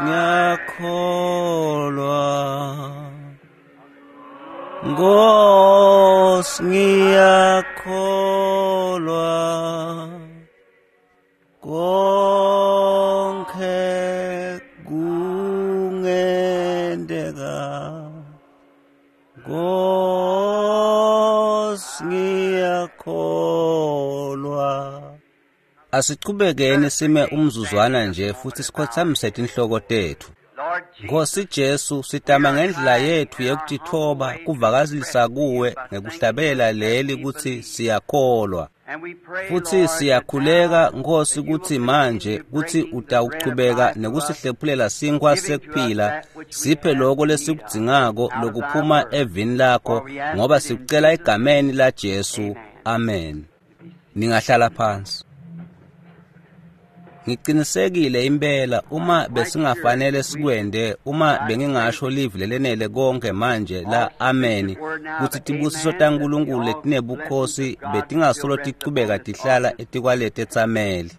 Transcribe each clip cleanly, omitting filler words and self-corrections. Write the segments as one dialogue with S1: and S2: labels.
S1: ngiyakholwa, Nkosi ngiyakholwa, konke kungenteka, Nkosi ngiyakholwa. Asichubekeni sime umzuzwana nje futhi sikhothamise tinhloko tethu. Nkosi Jesu, sitama ngendlela yethu yekutithoba kuvakalisa kuwe ngekuhlabela leli kutsi siyakholwa. Futhi siyakhuleka Nkosi kutsi manje kutsi utawuchubeka nekusihlephulela sinkhwa sekuphila, siphe lokho lesikudzingako lokuphuma evini lakho, ngoba sikucela egameni la Jesu. Amen. Ningahlala phansi. Ngiqinisekile impela uma besingafanele sikwende, uma bengingasho livi lelenele konke manje la amen, kutsi tibusiso taNkulunkulu letinebukhosi betingasolo tichubeka tihlala etikwaleti etsameli.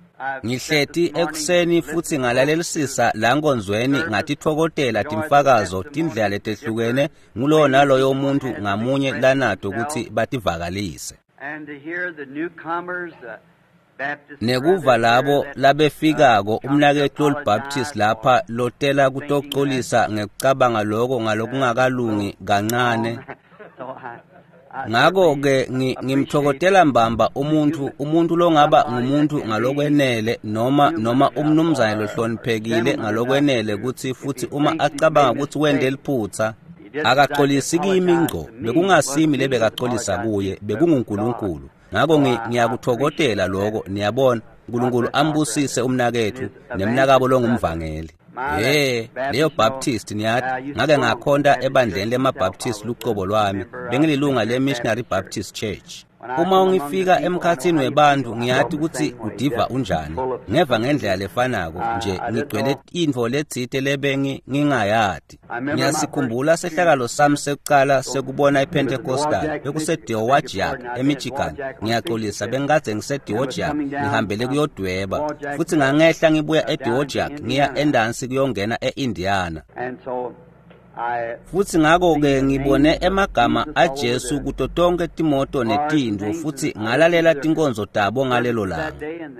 S1: Ngihleti ekuseni futhi ngalalelisisa la nkonzweni, ngatitfokotela timfakazo tindlela letehlukene ngulowo naloyo muntu ngamunye lanato kutsi bativakalise. Nekuva labo labefikako umnaketfu loliBaptist lapha lotela kutocolisa ngekucabanga lokho ngalokungakalungi kancane. Ngako-ke ngimthokotela mbamba umuntu longaba ngumuntu ngalokwenele noma umnumzane lohloniphekile ngalokwenele kutsi futhi uma acabanga kutsi wente liphutsa akaxolisi kimi ngco, bekungasimi lebekaxolisa kuye, bekunguNkulunkulu. Ngako ngiyakuthokotela lokho, niyabona. uNkulunkulu ambusise umnaketfu nemnakabo longumvangeli. Hey, leyo Baptist niyati, ngake ngakhonta ebandleni lemaBaptist lucobo lwami, bengililunga le-Missionary Baptist Church. Uma ungifika emkhatsini webantfu ngiyati kutsi udiva unjani, ngeva ngendlela lefanako nje ngigcwele intfo letsite lebengi ngingayati. Ngiyasikhumbula sehlakalo sami sekucala sekubona iPentecostal, bekuseDeowajiak eMichigan. Ngiyaxolisa, bengikadze ngiseDeowajiak ngihambele kuyodweba, futhi ngangehla ngibuya eDeowajiak ngiya endansi kuyongena eIndiana. Futhi ngako-ke ngibone emagama aJesu kuto tonke timoto netindlu, futhi ngalalela tinkonzo tabo ngalelo langa.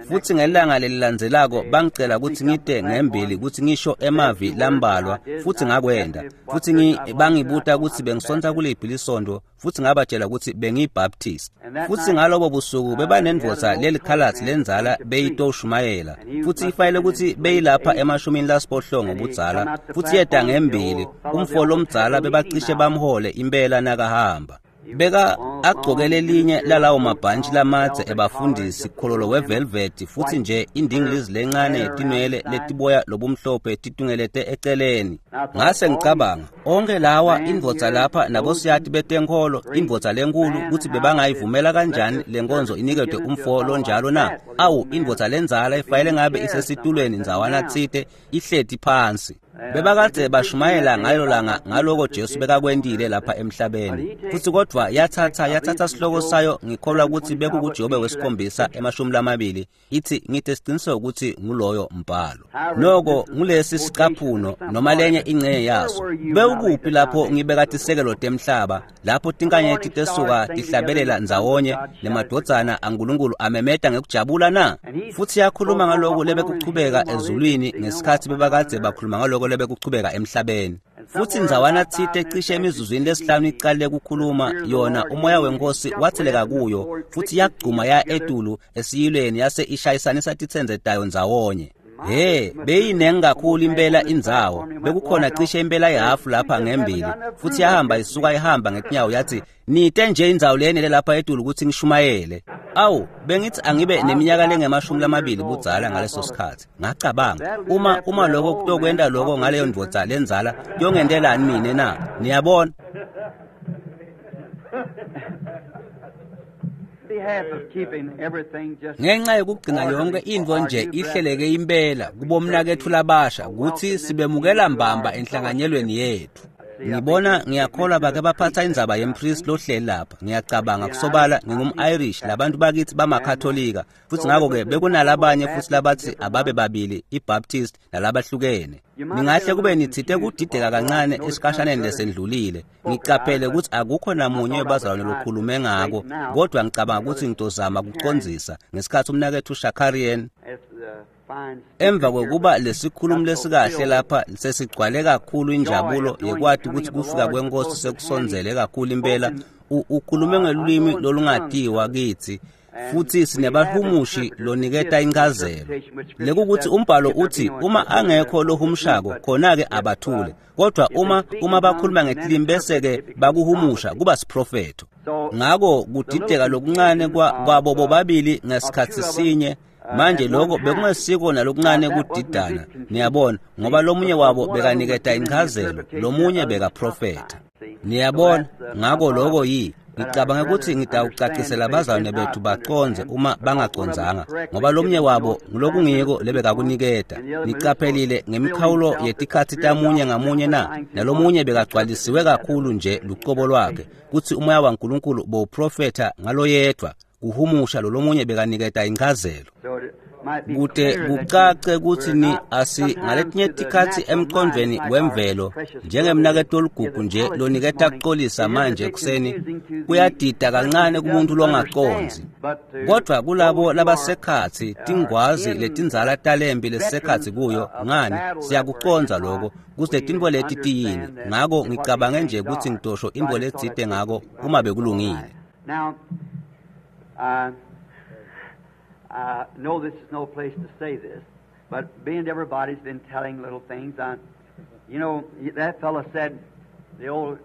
S1: Futhi ngelanga lelilandzelako bangicela kutsi ngite ngembili kutsi ngisho emavi lambalwa, futhi ngakwenda. Futhi bangibuta kutsi bengisonta kuliphi lisontfo, futhi ngabatshela kutsi bengiyiBaptist. Futhi ngalobo busuku bebanendvodza lelikhalatsi lendzala beyitoshumayela, futhi ifanele kutsi beyilapha emashumini lasiphohlongo budzala, futhi yeta ngembili umfo lomdzala bebacishe bamhole impela nakahamba. Beka agcoke lelinye lalawo mabhantshi lamadze ebafundisi khololo wevelvet, futhi nje indingilizi lencane yetinwele letiboya lobumhlophe titungelete eceleni. Ngase ngicabanga, onke lawa indvodza lapha nabosiyati betenkholo, indvodza lenkulu, kutsi bebangayivumela kanjani lenkonzo iniketwe umfo lonjalo na? Awu, indvodza lendzala ifanele ngabe isesitulweni ndzawana tsite ihleti phansi. Bebakadze bashumayela ngalo langa ngaloko Jesu bekakwentile lapha emhlabeni. Futhi kodvwa yathatha sihloko sayo, ngikholwa kutsi bekukuJobe wesikhombisa 20, ithi ngite siciniseko kutsi nguloyo mbhalo. Noko ngulesi sicaphuno noma lenye ingcenye yaso. Bewukuphi lapho ngibeka tisekelo temhlaba, lapho tinkanyeti tesuka tihlabelela ndzawonye nemadvodzana aNkulunkulu amemeta ngekujabula na? Futhi yakhuluma ngaloko lebekuchubeka ezulwini ngesikhatsi bebakadze bakhuluma ngaloko lebekuchubeka emhlabeni. Futhi ndzawana tsite cishe emizuzwini lesihlanu icale kukhuluma yona, umoya wenkosi watheleka kuyo, futhi yagcuma ya etulu esiyilweni yase ishayisanisa titsenze tayo ndzawonye. He, beyinengi kakhulu impela indzawo, bekukhona cishe impela ihafu lapha ngembili, futhi yahamba isuka ihamba ngetinyawo yathi, nite nje indzawo leyenele lapha etulu kutsi ngishumayele. Awu, bengithi angibe neminyaka lengama-20 budzala ngaleso sikhatsi. Ngacabanga, uma lokho kutokwenta lokho ngaleyo ndvodza lendzala, kuyongentelani mine na? Niyabona? Ngenxa yokugcina yonke intfo nje ihleleke impela kubomnaketfu labasha kutsi sibemukela mbamba enhlanganyelweni yetfu. Ngibona ngiyakholwa bake baphatha indzaba yempriest lohleli lapha. Ngiyacabanga kusobala ngingum-Irish, labantu bakithi bamaKatolika, futhi ngakho-ke bekunalabanye futhi labathi ababe babili, iBaptist nalabahlukene. Ningahle kube nithite kudideka kancane esikhashaneni lesendlulile. Ngicaphele ukuthi akukho namunye webazalwane lokhulume ngako, kodwa ngicabanga ukuthi ngitozama kucondzisa ngesikhathi umnaketfu Shakarian emva kwekuba lesikhulumi lesikahle lapha sesigcwale kakhulu injabulo yekwati ukuthi kufika kwenkosi sekusondzele kakhulu impela, ukhulume ngelulwimi lolungatiwa kitsi, futhi sinebahumushi loniketa inchazelo. Lekukuthi umbhalo uthi uma angekho lohumushako khona-ke abathule, kodwa uma bakhuluma ngetilimi bese-ke bakuhumusha kuba siprofetho. Ngako kudideka lokuncane kwabo bobabili ngesikhatsi sinye. Manje lokho bekungesiko nalokuncane kudidana, niyabona, ngoba lomunye wabo bekaniketa inchazelo, lomunye bekaprofetha. Niyabona, ngako lokho ngicabanga ukuthi ngitawucacisela abazalwane bethu bacondze uma bangacondzanga, ngoba lomunye wabo ngulokungiko lebekakuniketa. Nicaphelile ngemikhawulo yetikhatsi tamunye ngamunye na, nalomunye bekagcwalisiwe kakhulu nje lucobo lwakhe, kutsi umoya waNkulunkulu bowuprofetha ngaloyedvwa, kuhumusha lolomunye bekaniketa inchazelo. Kute kucace kutsi ni asi ngaletinye tikhatsi emqondvweni wemvelo, njengemnaketfu oligugu nje loniketa kucolisa manje ekuseni, kuyadida kancane kumuntu longacondzi. Kodvwa kulabo labasekhatsi, tingwazi letindzala talempi lesekhatsi kuyo, ngani siyakucondza lokho, kutsi letintfo leti tiyini. Ngako ngicabange nje kutsi ngitosho intfo letsite ngako uma bekulungile.
S2: I know this is no place to say this, but being everybody's been telling little things, you know, that fellow said, the old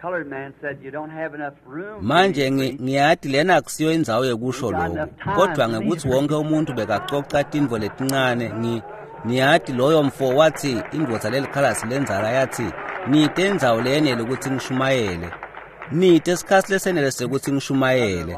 S2: colored man said, you don't have enough room.
S1: Manje ngiyati lena akusiyo indzawo yekusho lokho, kodwa ngekuthi wonke umuntu bekacoca tintfo letincane, ngiyati loyo mfo wathi indvodza lelikhalasi lendzala yathi, nite indzawo leyenele ukuthi ngishumayele. Nite isikhatsi lesenele sekuthi ngishumayele.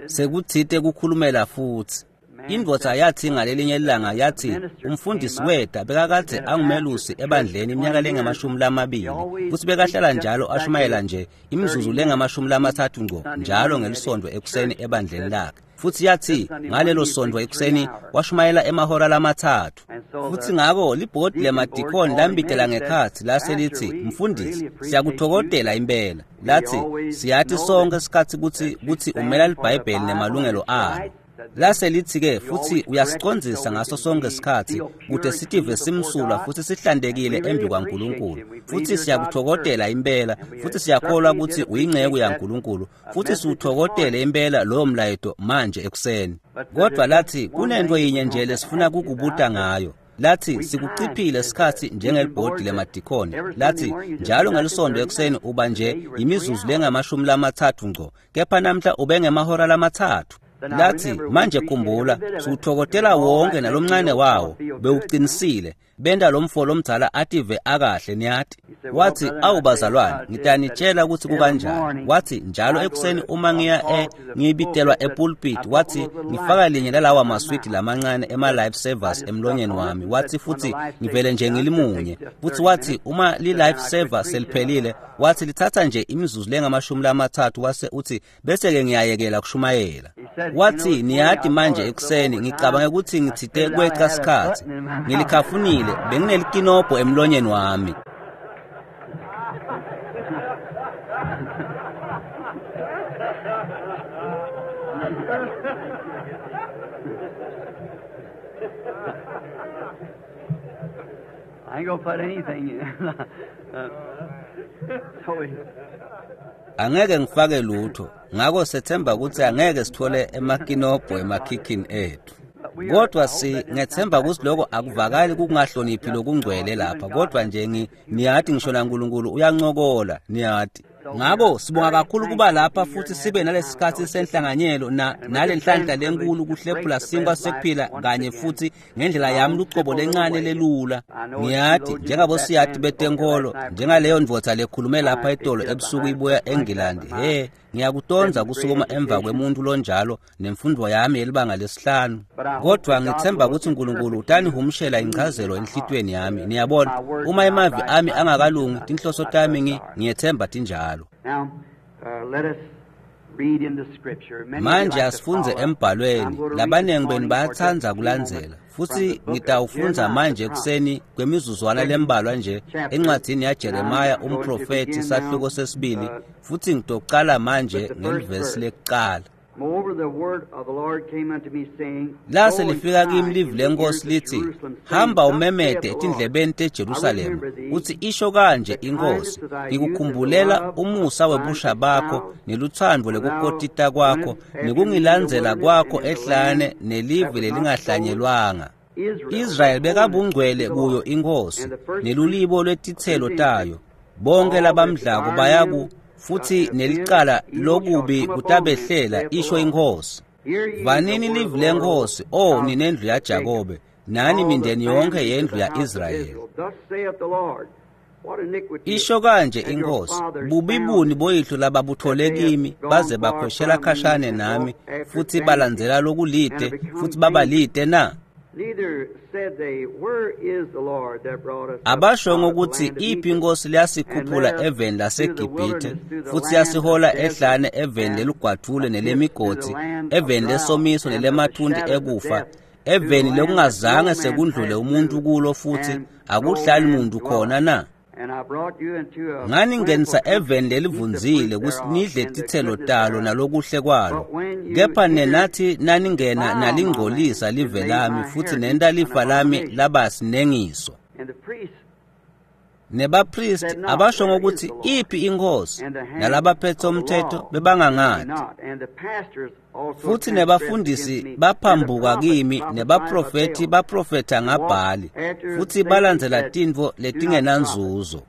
S1: Sekuthite kukhulumela futhi. Indvodza yathi ngalelinye ilanga yathi umfundisi weta bekakadze angumelusi ebandleni iminyaka lengamashumi lamabili, futhi bekahlala njalo ashumayela nje imizuzu lengamashumi lamathathu ngco njalo ngelisonto ekuseni ebandleni lakhe. Futhi yathi ngalelo sonto ekuseni washumayela emahora lamathathu. Futhi ngako libhodi lemadikhoni lambitela ngekhatsi lase litsi, mfundisi, siyakuthokodela impela. Lathi siyathi sonke isikhatsi kutsi umela liBhayibheli nemalungelo alo. Lase lithi-ke futhi uyasicondzisa ngaso sonke isikhatsi kute sitive simsulwa futhi sihlantekile embi kwaNkulunkulu. Futhi siyakuthokodela impela, futhi siyakholwa ukuthi uyinceku yaNkulunkulu, futhi siwuthokodele impela lowo mlayeto manje ekuseni. Kodwa lathi kunento yinye nje lesifuna kukubuta ngayo. Lathi sikuciphile isikhatsi njengelibhodi lemadikhoni. Lathi njalo ngelisonto ekuseni uba nje imizuzu lengamashumi lamathathu ngco, kepha namhla ube ngemahora lamathathu. Lathi manje khumbula, siwuthokodela wonke nalomncane wawo, bewuqinisile, benta lo mfo lomdzala ative akahle niyati. Wathi awu bazalwane, ngitanitshela ukuthi kukanjani. Wathi njalo ekuseni uma ngiya ngibitelwa epulpit, wathi ngifaka linye lalawa maswidi lamancane ema-life savers emlonyeni wami. Wathi futhi ngivele nje ngilimunye. Futhi wathi uma li-life saver seliphelile, wathi lithatha nje imizuzu lengamashumi lamathathu, wase uthi bese-ke ngiyayekela kushumayela. Wathi niyati manje ekuseni ngicabange ukuthi ngithite kweca sikhatsi, ngilikhafunile, benginelikinobho emlonyeni wami.
S2: I ain't gonna put anything in. So we,
S1: Angeke ngifake lutho, ngako sethemba ukuthi angeke sithole emakinobho emakhikhini ethu. Kodwa ngethemba ukuthi lokho akuvakali kungahloniphi lokungcwele lapha, kodwa nje niyati ngisho naNkulunkulu uyancokola, niyati. Ngako sibonga kakhulu kuba lapha futhi sibe nalesikhatsi senhlanganyelo nalenhlanhla lenkulu kuhlephula sinkwa sekuphila kanye futhi ngendlela yami lucobo lencane lelula. Ngiyati njengabosiyati betenkolo, njengaleyo ndvodza lekhulume lapha etolo ebusuku ibuya eNgilandi, he Ngiyakutondza kusukuma emva kwemuntu lonjalo nemfundvo yami yelibanga lesihlanu. Kodwa ngitsemba kutsi uNkulunkulu utanihumushela inchazelo enhlitiyweni yami. Niyabona, uma emavi ami angakalungi, tinhloso tami ngiyetsemba tinjalo. Manje asifundze embhalweni. Labanengi benu bayatsandza kulandzela. Futsi ngitawufundza manje ekuseni kwemizuzwana lembalwa nje encwadzini yaJeremiya umprofethi sahluko sesibili, futsi ngitocala manje ngelivesi lekucala. Lase lifika kimi livi lenkosi lithi, hamba umemete etindlebeni teJerusalema, uthi isho kanje inkosi, ngikukhumbulela umusa webusha bakho nelutsandvo lekukotita kwakho nekungilandzela kwakho ehlane nelive lelingahlanyelwanga. Israyeli bekabungcwele kuyo inkosi nelulibo lwetitselo tayo. Bonke labamdlako bayaku futhi nelicala lokubi kutabehlela, isho inkosi. Vanini livi lenkosi, o ninendlu yaJakobe, nani mindeni yonke yendlu ya-Israyeli. Isho kanje inkosi, bubi buni boyihlo lababuthole kimi, baze bakhweshela khashane nami, futhi balandzela lokulite, futhi babalite na? Abasho ngokuthi iphi inkosi liyasikhuphula eveni laseGibhithe, futhi yasihola ehlane eveni lelugwadvule nelemigodi, eveni lesomiso nelemathunti ekufa, eveni lekungazange sekundlule umuntu kulo futhi akuhlali muntu khona na? Nganingenisa eveni lelivundzile kutsi nidle titselo talo nalokuhle kwalo. Kepha nenathi naningena nalingcolisa live lami futhi nenta lifa lami laba sinengiso. Nebapristi abasho ngokuthi iphi inkosi, nalabaphethe umthetho bebangangati. Futhi nebafundisi baphambuka kimi, nebaprofethi baprofetha ngaBhali, futhi balandzela tintfo letingenanzuzo.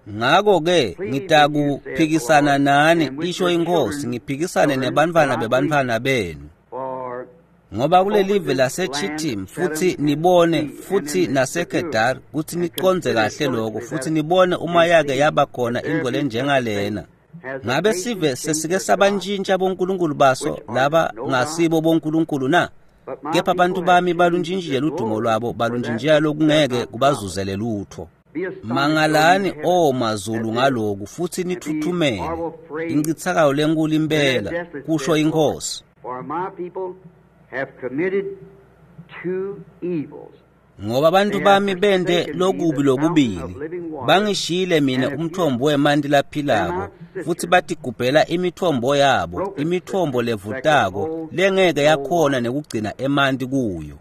S1: Ngako-ke ngitakuphikisana nani, isho inkosi, ngiphikisane nebantfwana bebantfwana benu. Ngoba kulelive laseChittim futhi nibone futhi naseKedar kutsi nicondze kahle lokho futhi nibone uma yake yaba khona intfo lenjengalena. Ngabe sive sesike sabantshintsha bonkulunkulu baso laba ngasibo bonkulunkulu na? Kepha abantu bami baluntshintshile ludumo lwabo, baluntshintshela lokungeke kubazuzele lutho. Mangalani o mazulu ngaloku futhi nithuthumele, incitsakalo lenkulu impela, kusho inkosi. Ngoba abantu bami bente lokubi lokubili, bangishiyile mina umthombo wemanti laphilako, futhi batigubhela imithombo yabo, imithombo levutako lengeke yakhona nekugcina emanti kuyo.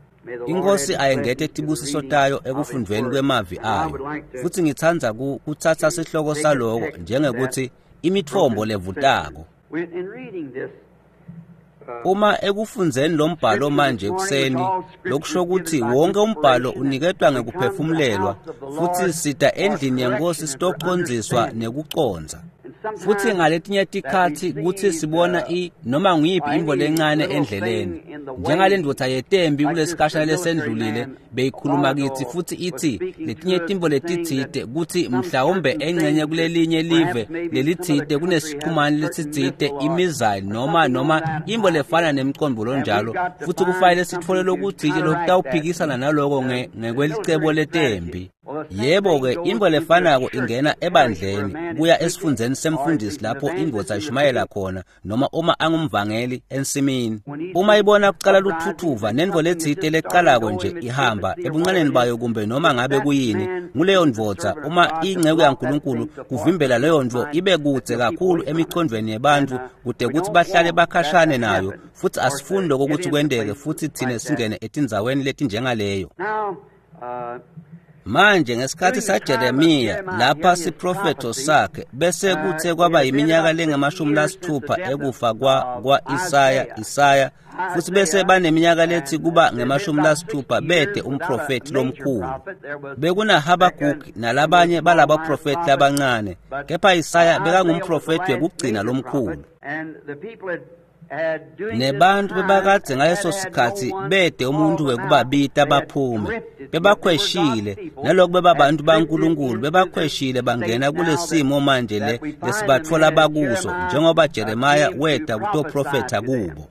S1: Inkosi ayengete tibusiso tayo ekufundvweni kwemavi ayo, futhi ngitsandza kutsatsa sihloko saloko njengekuthi imithombo levutako. Uma ekufundzeni lombhalo manje ekuseni, lokusho ukuthi wonke umbhalo uniketwa ngekuphefumulelwa, futhi sita endlini yenkosi sitocondziswa nekucondza. Futhi ngaletinye tikhatsi kutsi sibona noma nguyiphi intfo lencane endleleni, njengale ndvodza yetembi kulesikhashana lesendlulile beyikhuluma kitsi futhi itsi letinye tintfo letitsite kutsi mhlawumbe engcenye kulelinye live lelitsite kunesichumane lesitsite imizali noma intfo lefana nemcondvo lonjalo, futhi kufanele sitfole lokutsite lokutawuphikisana naloko ngekwelicebo letembi. Yebo-ke, intfo lefanako ingena ebandleni kuya esifundzeni semfundisi lapho indvodza ishumayela khona noma uma angumvangeli ensimini. Uma ibona kucala luthuthuva nentfo letsite lecalako nje ihamba ebuncaneni bayo kumbe noma ngabe kuyini, nguleyo ndvodza uma inceku yaNkulunkulu kuvimbela leyo ntfo ibe kudze kakhulu emicondvweni yebantfu kute kutsi bahlale bakhashane nayo, futhi asifuni lokho kutsi kwenteke futhi thine singene etindzaweni letinjengaleyo. Manje ngesikhathi saJeremiya lapha siprofetho sakhe bese kuthe kwaba iminyaka lengama-60 ekufa kwa-Isaya futhi bese baneminyaka lethi kuba ngama-60 bede umprofethi lomkhulu. Bekuna Habakkuk nalabanye balabaprofethi labancane, kepha Isaya bekangumprofethi wekugcina lomkhulu. Nebantu bebakadze ngaleso sikhatsi bete umuntu wekubabita baphume. Bebakhweshile, naloku bebabantu baNkulunkulu, bebakhweshile bangena kulesimo manje le lesibatfola bakuso, njengoba Jeremiah weta kutoprofetha kubo.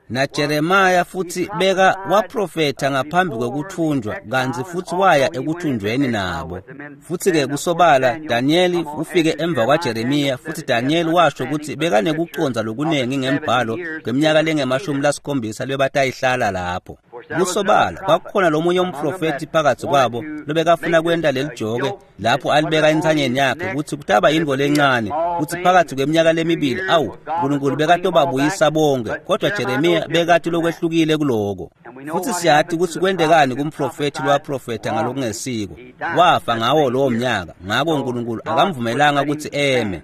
S1: NaJeremiah futsi beka waprofetha ngaphambi kwekuthunjwa, kantsi futsi waya ekuthunjweni nabo. Futsi-ke kusobala Daniel ufike emva kwaJeremiah, futsi Daniel washo kutsi bekanekucondza lokunengi ngembhalo ngeminyaka lengemashumi-lasikhombisa lebatayihlala lapho. Kusobala kwakukhona lomunye umprofethi phakathi kwabo lobekafuna kwenta lelijoke lapho alibeka entsanyeni yakhe kutsi kutaba yintfo lencane, kutsi phakathi kweminyaka lemibili awu uNkulunkulu bekatobabuyisa bonke, kodwa Jeremiah bekati lokwehlukile kuloko. Futsi siyati kutsi kwentekani kumprofethi lowaprofetha ngalokungesiko. Wafa ngawo lowo mnyaka, ngako uNkulunkulu akamvumelanga kutsi eme.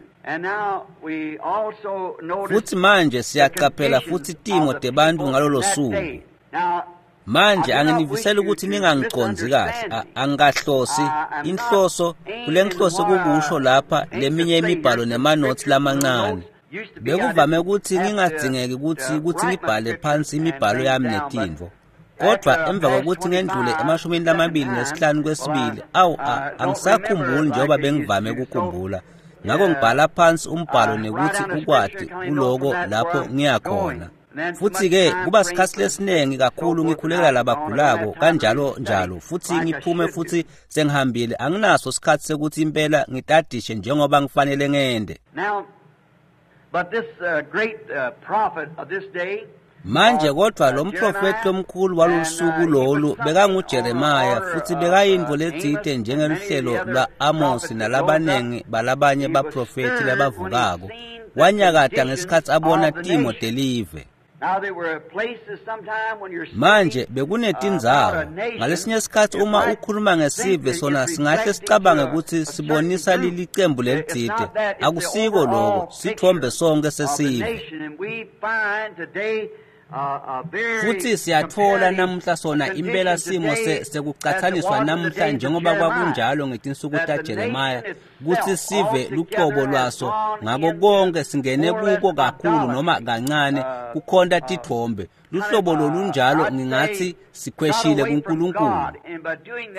S1: Futsi manje siyaqaphela futsi timo tebantu ngalolo suku. Manje anginiviseli ukuthi ningangicondzi kahle, angikahlosi inhloso kulenhloso kukusho lapha leminye imibhalo nemanothi lamancane. Bekuvame ukuthi ngingadzingeki ukuthi ngibhale phansi imibhalo yami netintfo. Kodwa emva kokuthi ngendlule emashumini lamabili nesihlanu kwesibili, awu angisakhumbuli njengoba bengivame ukukhumbula. Ngako ngibhala phansi umbhalo nekuthi ukwati kuloko lapho ngiyakhona. Futhi-ke kuba sikhatsi lesiningi kakhulu ngikhulekela labagulako kanjalo njalo, futhi ngiphume futhi sengihambile, anginaso sikhatsi sekuthi impela ngitadishe njengoba ngifanele ngende.
S2: But this great prophet of this day,
S1: Manje kodwa lo mprofethi lomkhulu walolusuku lolu bekanguJeremiah, futhi bekayintfo letsite njengeluhlelo lwa-Amos nalabanengi balabanye baprofethi labavukako. Wanyakata ngesikhatsi abona timo telive.
S2: Now there were places sometime when you're
S1: Manje bekunetindzawo ngalesinye sikhatsi uma ukhuluma ngesive sona singahle sicabange kutsi sibonisa licembu lelitsite. Akusiko loko, sitfombe sonke sesive. Futhi siyatfola namuhla sona impela simo sekucatsaniswa namuhla njengoba kwakunjalo ngetinsuku taJeremiah, kutsi sive lucobo lwaso ngako konke singene kuko kakhulu noma kancane kukhonta titfombe. Luhlobo lolunjalo ngingatsi sikhweshile kuNkulunkulu.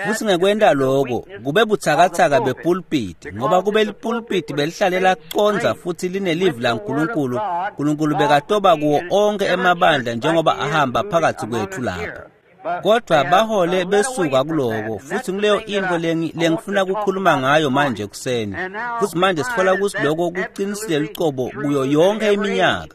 S1: Futsi ngekwenta loko kube butsakatsaka bepulpiti, ngoba kube lipulpiti belihlale lacondza futhi linelivi laNkulunkulu, uNkulunkulu bekatoba kuwo onke emabandla njengoba ahamba phakathi kwethu lapha. Kodwa bahole besuka kuloko, futhi nguleyo intfo lengifuna kukhuluma ngayo manje ekuseni. Futhi manje sitfola kutsi loko kuqinisile lucobo kuyo yonke iminyaka.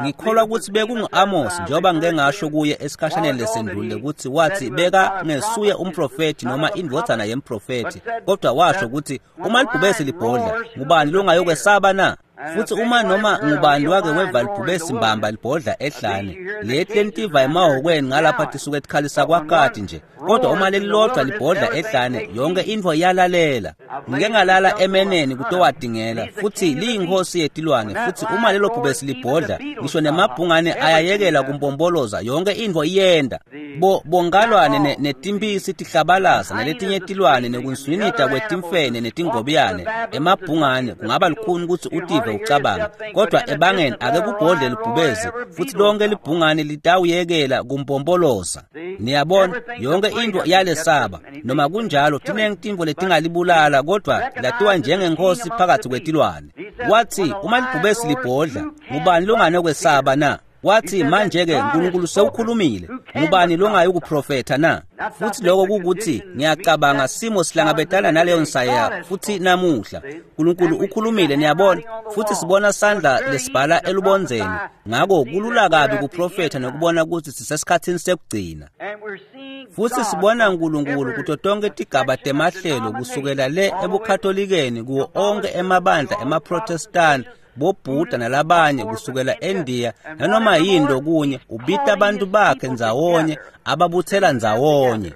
S1: Ngikholwa ukuthi bekungu-Amos, njengoba ngike ngasho kuye esikhashaneni lesendlulile, ukuthi wathi beka ngesuye umprofethi noma indvodzana yemprofethi, kodwa washo ukuthi uma libhubesi libhodla, ngubani longayokwesaba na? Futhi uma noma ngubani wake weva libhubesi mbamba libhodla ehlane, leti lentiva emahhokweni ngalapha tisuke tikhalisa kwakati nje, kodwa uma lelilodwa libhodla ehlane, yonke intfo iyalalela. Ngike ngalala emeneni kutowadingela, futhi liyinkosi yetilwane, futhi uma lelo bhubesi libhodla, ngisho nemabhungane ayayekela kumpompoloza, yonke intfo iyenda. Bo bongalwane netimphisi tihlabalaza naletinye tilwane nekunswinita kwetimfene netingobiyane, emabhungane kungaba lukhuni kutsi utive ucabanga, kodwa ebangeni ake kubhodle libhubezi, futhi lonke libhungane litawuyekela kumpompoloza. Niyabona, yonke intfo iyalesaba. Noma kunjalo tinengi tintfo letingalibulala, kodwa latiwa njengenkosi phakathi kwetilwane. Wathi uma libhubesi libhodla, ngubani longanokwesaba na? Wathi manje-ke uNkulunkulu sewukhulumile, ngubani longayukuprofetha na? Futhi lokho kukuthi ngiyacabanga simo sihlangabetana naleyo nsaya futhi namuhla. uNkulunkulu ukhulumile, niyabona, futhi sibona sandla lesibhala elubondzeni. Ngako kulula kabi kuprofetha nokubona ukuthi sisesikhatsini sekugcina. Futhi sibona uNkulunkulu kuto tonke tigaba temahlelo, kusukela le ebuKatholikeni kuwo onke emabandla emaProtestani, boBhuda nalabanye, kusukela eNdiya nanoma yini lokunye, ubita abantu bakhe ndzawonye, ababuthela ndzawonye.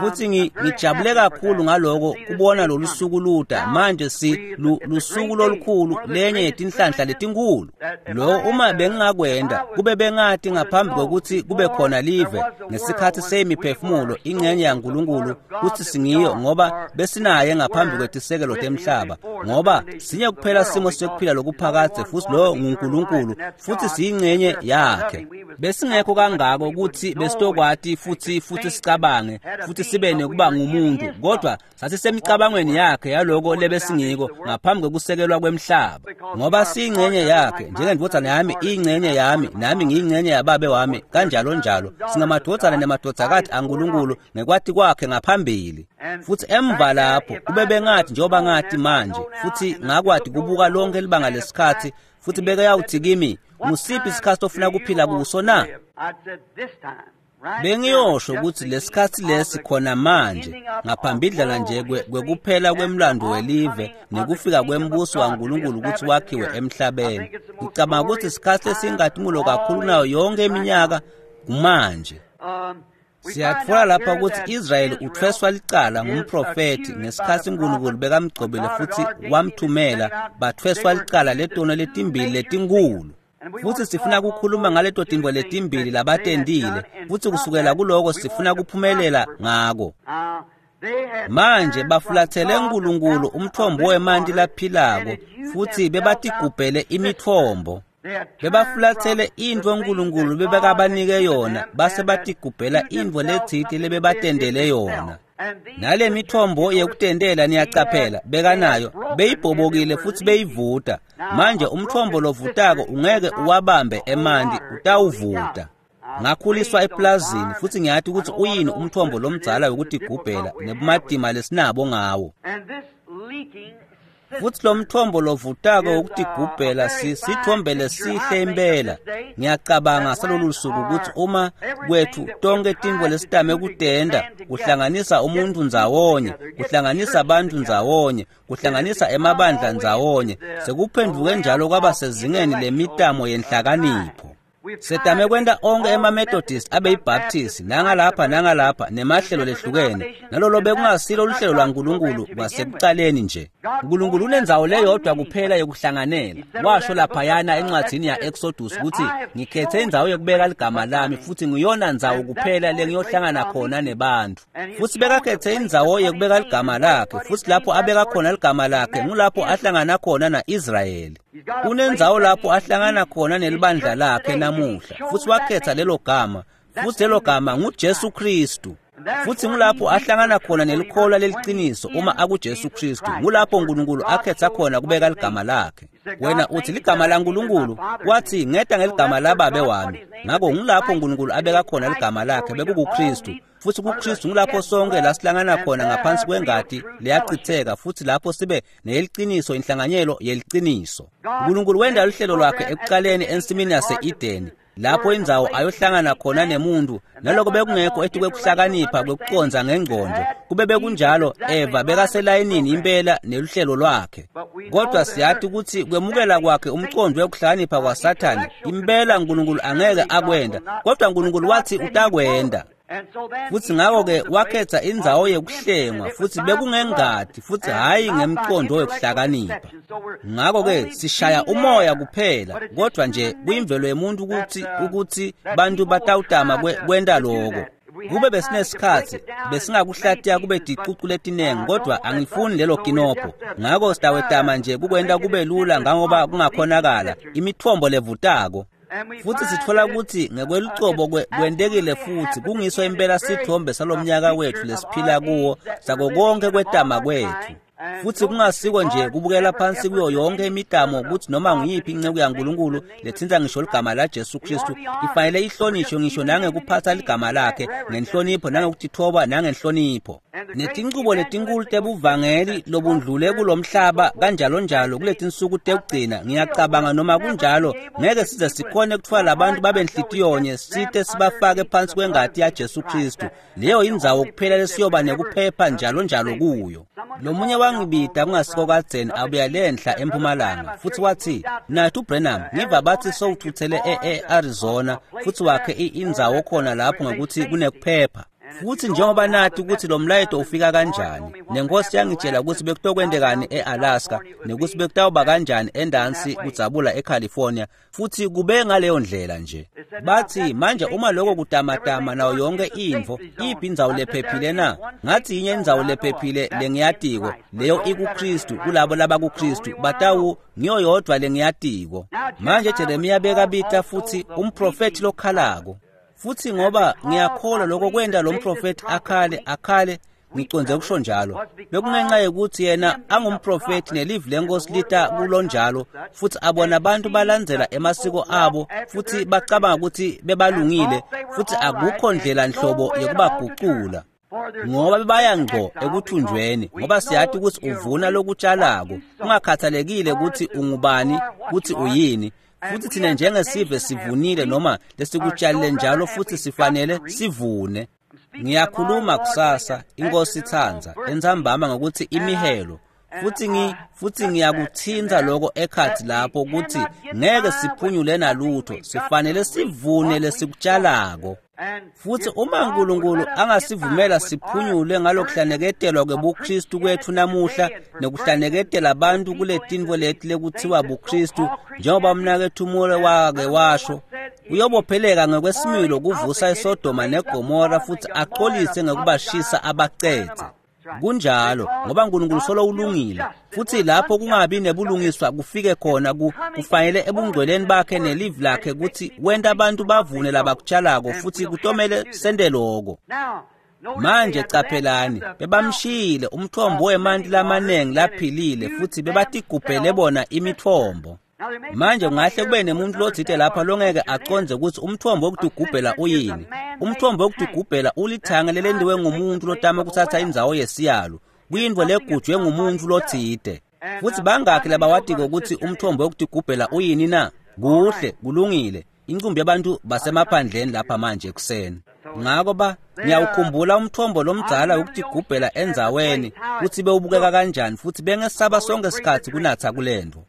S1: Futhi ngijabule kakhulu ngaloko kubona lolu suku luta. Manje si lusuku lolukhulu, lenye yetinhlanhla letinkulu. Lo uma bengingakwenda kube bengati ngaphambi kokuthi kube khona live ngesikhathi semiphefumulo ingxenye yaNkulunkulu kuthi singiyo, ngoba besinaye ngaphambi kwetisekelo temhlaba, ngoba sinye kuphela simo sekuphila lokuphakadze, futhi lo nguNkulunkulu, futhi siyingxenye yakhe. Besingekho kangako ukuthi besitokwati futhi sicabange futhi sibe nekuba ngumuntu, kodwa sasisemicabangweni yakhe yaloko lebesingiko ngaphambi kokusekelwa kwemhlaba, ngoba siyingxenye yakhe, njengendvodzana yami iyingxenye yami, nami ngiyingxenye yababe wami, kanjalo njalo singamadvodzana nemadvodzakati aNkulunkulu ngekwati kwakhe ngaphambili. Futhi emva lapho kube bengathi njengoba ngathi manje, futhi ngakwati kubuka lonke libanga lesikhathi, futhi bekayawuthi kimi, ngusiphi isikhathi ofuna kuphila kuso na? Bengiyosho ukuthi lesikhathi lesi khona manje, ngaphambidlana nje kwekuphela kwemlando welive nekufika kwembuso waNkulunkulu ukuthi wakhiwe emhlabeni. Ngicabanga ukuthi isikhathi esingathumulo kakhulu nayo yonke iminyaka kumanje. Siyatfola lapha ukuthi Israyeli uthweswa licala ngumprofethi ngesikhathi uNkulunkulu bekamgcobile futhi wamthumela, bathweswa licala letono letimbili letinkulu. Futhi sifuna ukukhuluma ngaleto tintfo letimbili labatendile, futhi kusukela kuloko sifuna kuphumelela ngako. Manje bafulathele uNkulunkulu umthombo wemanti laphilako, futhi bebatigubhele imitfombo. Bebafulathele intfo uNkulunkulu bebekabanike yona, base batigubhela intfo letsite lebebatendele yona. Nale mithombo yekutendela niyacaphela bekanayo beyibhobokile futhi beyivuta. Manje umthombo lovutako ungeke uwabambe emanti, utawuvuta. Ngakhuliswa eplazini futhi ngiyathi ukuthi uyini umthombo lomdzala wekutigubhela nebumatima lesinabo ngawo. Futhi lo mthombo lovutako wokutigubhela sithombe lesihle impela. Ngiyacabanga salolu suku ukuthi uma kwethu tonke tintfo lesitame kutenda, kuhlanganisa umuntu ndzawonye, kuhlanganisa abantu ndzawonye, kuhlanganisa emabandla ndzawonye, sekuphenduke njalo kwaba sezingeni lemitamo yenhlakanipho. Setame kwenta onke ema-Methodist abe yiBaptist, nangalapha nangalapha, nemahlelo lehlukene, nalolo bekungasilo luhlelo lwaNkulunkulu kwasekucaleni nje. uNkulunkulu unendzawo leyodwa kuphela yokuhlanganela. Washo laphayana encwadzini ya-Exodus ukuthi ngikhethe indzawo yokubeka ligama lami, futhi ngiyona ndzawo kuphela lengiyohlangana khona nebantu. Futhi bekakhethe indzawo yokubeka ligama lakhe, futhi lapho abeka khona ligama lakhe ngulapho ahlangana khona na-Israyeli. Unendzawo lapho ahlangana khona nelibandla lakhe namuhla, futhi wakhetha lelo gama, futhi lelo gama nguJesu Kristu. Futhi ngulapho ahlangana khona nelikholwa leliciniso uma akuJesu Kristu. Ngulapho uNkulunkulu akhetha khona kubeka ligama lakhe. Wena uthi ligama laNkulunkulu, wathi ngeta ngeligama lababe wami. Ngako ngulapho uNkulunkulu abeka khona ligama lakhe bekukuKristu. Futhi kuKristu ngulapho sonke lasihlangana khona ngaphansi kwengati leyachitheka, futhi lapho sibe neyeliciniso, inhlanganyelo yeliciniso. uNkulunkulu wenda luhlelo lwakhe ekuqaleni ensimini yase-Edeni, lapho indzawo ayohlangana khona nemuntu, naloko bekungekho etikwekuhlakanipha kwekucondza ngengqondo. Kube bekunjalo, Eva bekaselayinini impela neluhlelo lwakhe. Kodwa siyathi ukuthi kwemukela kwakhe umcondo wekuhlakanipha kwaSathane, impela uNkulunkulu angeke akwenda, kodwa uNkulunkulu wathi utakwenda. Futhi ngako-ke wakhetha indzawo yekuhlengwa, futhi bekungengati, futhi hhayi ngemcondo wekuhlakanipha. Ngako-ke sishaya umoya kuphela, kodwa nje kuyimvelo yemuntu ukuthi bantu batawutama kwenta loko. Kube besinesikhathi besingakuhlatiya kube ticucu letinengi, kodwa angifuni lelo kinopho. Ngako sitawetama nje kukwenta kube lula ngangoba kungakhonakala, imithombo levutako. Futhi sithola ukuthi ngekwelucobo kwentekile futhi kungiso impela sithombe salomnyaka wethu lesiphila kuwo, sako konke kwetama kwethu. Futhi kungasiko nje kubukela phansi kuyo yonke imitamo ukuthi noma nguyiphi inceku yaNkulunkulu lethinta ngisho ligama laJesu Kristu ifanele ihlonishwe ngisho nangekuphatha ligama lakhe ngenhlonipho, nangekutithoba nangenhlonipho. Netinqubo letinkulu tebuvangeli lobundlule kulomhlaba kanjalo njalo kuletinsuku tekugcina, ngiyacabanga noma kunjalo ngeke size sikhone kutfwala labantu babe nhlityonye site sibafake phansi kwengati yaJesu Kristu. Leyo indzawo kuphela lesiyoba nekuphepha njalo njalo kuyo. Lomunye wangibida kungasiko kadzeni abuya lenhla empumalanga, futhi wathi, "Nathu Branham, ngiva bathi sowuthuthele e-Arizona futhi wakhe indzawo khona lapho ngokuthi kunekuphepha." Futhi njengoba nathi ukuthi lo mlayeto ufika kanjani, nenkosi yangitshela ukuthi bekutokwendekani e-Alaska, nekuthi bekutawuba kanjani endansi kudzabula eCalifornia, futhi kube ngaleyo ndlela nje. Bathi manje uma lokho kutamatama nayo yonke intfo, iphi indzawo lephephile na? Ngathi yinye indzawo lephephile lengiyatiko, leyo ikuKristu, kulabo labakuKristu, batawu ngiyo yodwa lengiyatiko. Manje Jeremiya bekabita futhi umprofethi lokhalako. Futhi ngoba ngiyakholwa lokho kwenta lo mprofethi akhale ngiconze kusho njalo, bekungenxa yokuthi yena angumprofethi nelivi lenkosi lita kulonjalo, futhi abona abantu balandzela emasiko abo futhi bacabanga ukuthi bebalungile, futhi akukho ndlela nhlobo yokubagucula, ngoba bebaya ngqo ekuthunjweni, ngoba siyathi ukuthi uvuna lokutshalako, kungakhathalekile ukuthi ungubani, ukuthi uyini. Futhi thina njengesive sivunile noma lesikutshalile njalo, futhi sifanele sivune. Ngiyakhuluma kusasa, inkosi itsandza, entsambama ngokuthi imihelo. Futhi ngiyakuthinta lokho ekhathi lapho ukuthi ngeke siphunyule nalutho, sifanele sivune lesikutshalako. Futhi uma uNkulunkulu angasivumela siphunyule ngalokuhlaneketelwa kwebuKristu kwethu namuhla, nekuhlaneketela abantu kule tintfo leti lekuthiwa buKristu, njengoba mnakethu Moore wake washo, uyobopheleka ngokwesimilo kuvusa iSodoma neGomora futhi axolise ngokubashisa abacethe. Kunjalo, ngoba uNkulunkulu solo ulungile, futhi lapho kungabi nebulungiswa kufike khona kufanele ebungcweleni bakhe nelivi lakhe ukuthi wenta abantu bavune labakutshalako, futhi kutomele sente loko. Manje caphelani, bebamshiyile umthombo wemanti lamanengi laphilile, futhi bebatigubhele bona imitfombo. Manje kungahle kube nemuntu lotsite lapha longeke aconze ukuthi umthombo wokutugubhela uyini. Umthombo wokutugubhela ulithange lelendiwe ngumuntu lotama kuthatha indzawo yesiyalo, kuyintfo legujwe ngumuntu lotsite. Futhi bangakhi labawatiko ukuthi umthombo wokutugubhela uyini na? Kuhle, kulungile. Incumbi yabantu basemaphandleni lapha manje ekuseni. Ngako ngiyawukhumbula umthombo lomdzala wokutigubhela endzaweni kutsi bewubukeka kanjani, futhi bengesaba sonke sikhatsi kunatsa kulento.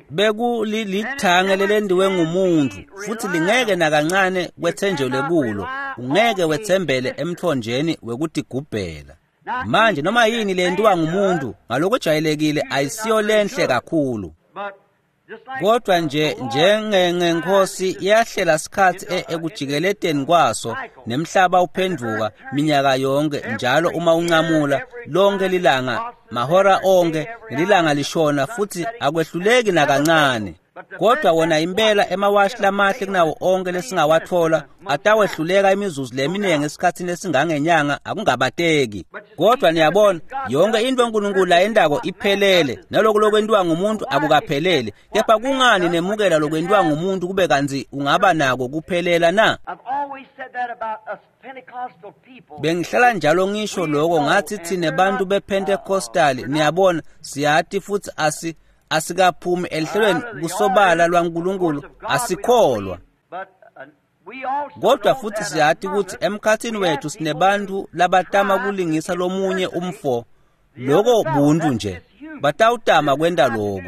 S1: Bekulilithange lelendiwe ngumuntu, futhi lingeke nakancane kwethenjelwe kulo, ungeke wethembele emthonjeni wekutigubhela. Manje noma yini lentiwa ngumuntu ngalokujwayelekile ayisiyo lenhle kakhulu. Kodwa nje njengenkosi iyahlela sikhatsi ekujikeleteni kwaso, nemhlaba uphenduka minyaka yonke njalo uma uncamula lonke lilanga, mahora onke, nelilanga lishona, futhi akwehluleki nakancane. Kodwa wona impela emawashi lamahle kunawo onke lesingawathola atawehluleka imizuzu leminingi esikhathini lesingangenyanga, akungabateki. Kodwa niyabona, yonke into uNkulunkulu ayendako iphelele, nalokhu lokwentiwa ngumuntu akukaphelele. Kepha kungani nemukela lokwentiwa ngumuntu kube kantsi ungaba nako kuphelela na? Bengihlala njalo ngisho lokho, ngathi thine bantu bePentecostal, niyabona, siyati futhi asikaphumi elihlelweni kusobala lwaNkulunkulu, asikholwa. Kodwa futhi siyati ukuthi emkhathini wethu sinebantu labatama kulingisa lomunye umfo, loko buntu nje, batawutama kwenta loko.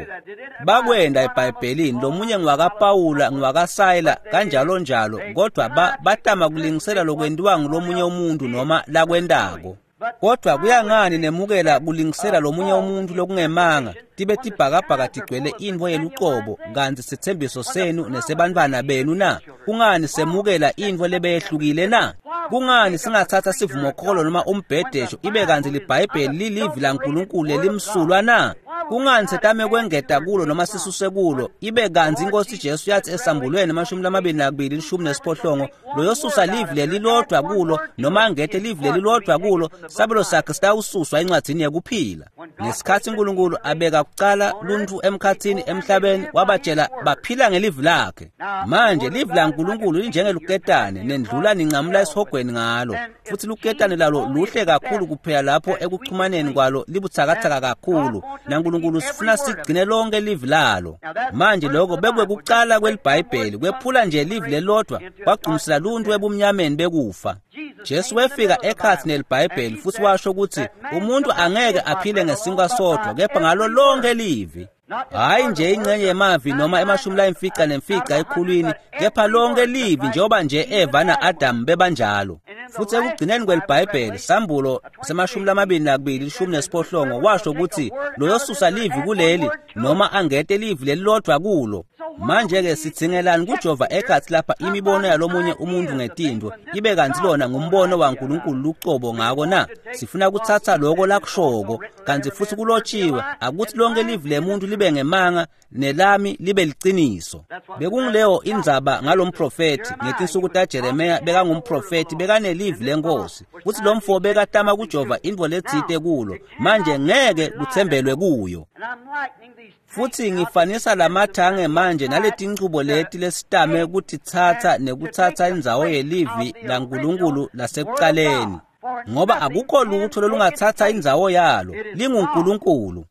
S1: Bakwenda eBhayibhelini, lomunye ngwakaPawula, ngwakaSayila, kanjalo njalo, kodwa batama kulingisela lokwentiwa ngulomunye umuntu noma lakwentako. Kodwa kuyangani nemukela kulingisela lomunye umuntu lokungemanga, tibe tibhakabhaka tigcwele intfo yelucobo, kantsi sithembiso senu nesebantfwana benu na? Kungani semukela intfo lebeyehlukile na? Kungani singathatha sivumokholo noma umbhedesho ibe kantsi liBhayibheli lilivi laNkulunkulu lelimsulwa na? Kungani setame kwengeta kulo noma sisuse kulo, ibe kantsi inkosi Jesu yathi esambulweni 22:18, loyosusa livi lelilodwa kulo noma angete livi lelilodwa kulo, sabelo sakhe sitawususwa encwadzini yekuphila. Ngesikhatsi uNkulunkulu abeka kucala luntfu emkhathini emhlabeni, wabatshela baphila ngelivi lakhe. Manje livi laNkulunkulu linjengeluketane, nendlula nincamula esihogweni ngalo, futhi luketane lalo luhle kakhulu kuphela lapho ekuchumaneni kwalo libutsakatsaka kakhulu, naNkulunkulu sifuna sigcine lonke livi lalo. Manje lokho bekwekucala kweliBhayibheli, kwephula nje livi lelodwa kwagcumisela luntfu ebumnyameni bekufa. Jesu wefika ekhathi neliBhayibheli futhi washo ukuthi umuntu angeke aphile ngesinkwa sodwa, kepha ngalo lonke livi. Hhayi nje ingxenye yemavi noma 95 ekhulwini, kepha lonke livi njengoba nje Eva na-Adamu bebanjalo. Futhi ekugcineni kweliBhayibheli, Sambulo sema-22 18 washo ukuthi loyosusa livi kuleli noma angete livi lelilodwa kulo. Manje-ke sidzingelani kujova ekhatsi lapha imibono yalomunye umuntu ngetintfo, ibe kantsi lona ngumbono waNkulunkulu lucobo ngako na? Sifuna kutsatsa loko lakushoko, kantsi futsi kulotshiwe, akuthi lonke livi lemuntu libe ngemanga nelami libe liciniso. Bekungileyo indzaba ngalomprofethi ngetinsuku taJeremiya. Bekangumprofethi, bekanelivi lenkosi, kutsi lo mfo bekatama kujova intfo letsite kulo, manje ngeke kutsembelwe kuyo. Futhi ngifanisa lamathange manje naletinchubo leti lesitame kutitsatsa nekuthatha indzawo yelivi laNkulunkulu lasekucaleni, ngoba akukho lutho lolungatsatsa indzawo yalo, linguNkulunkulu.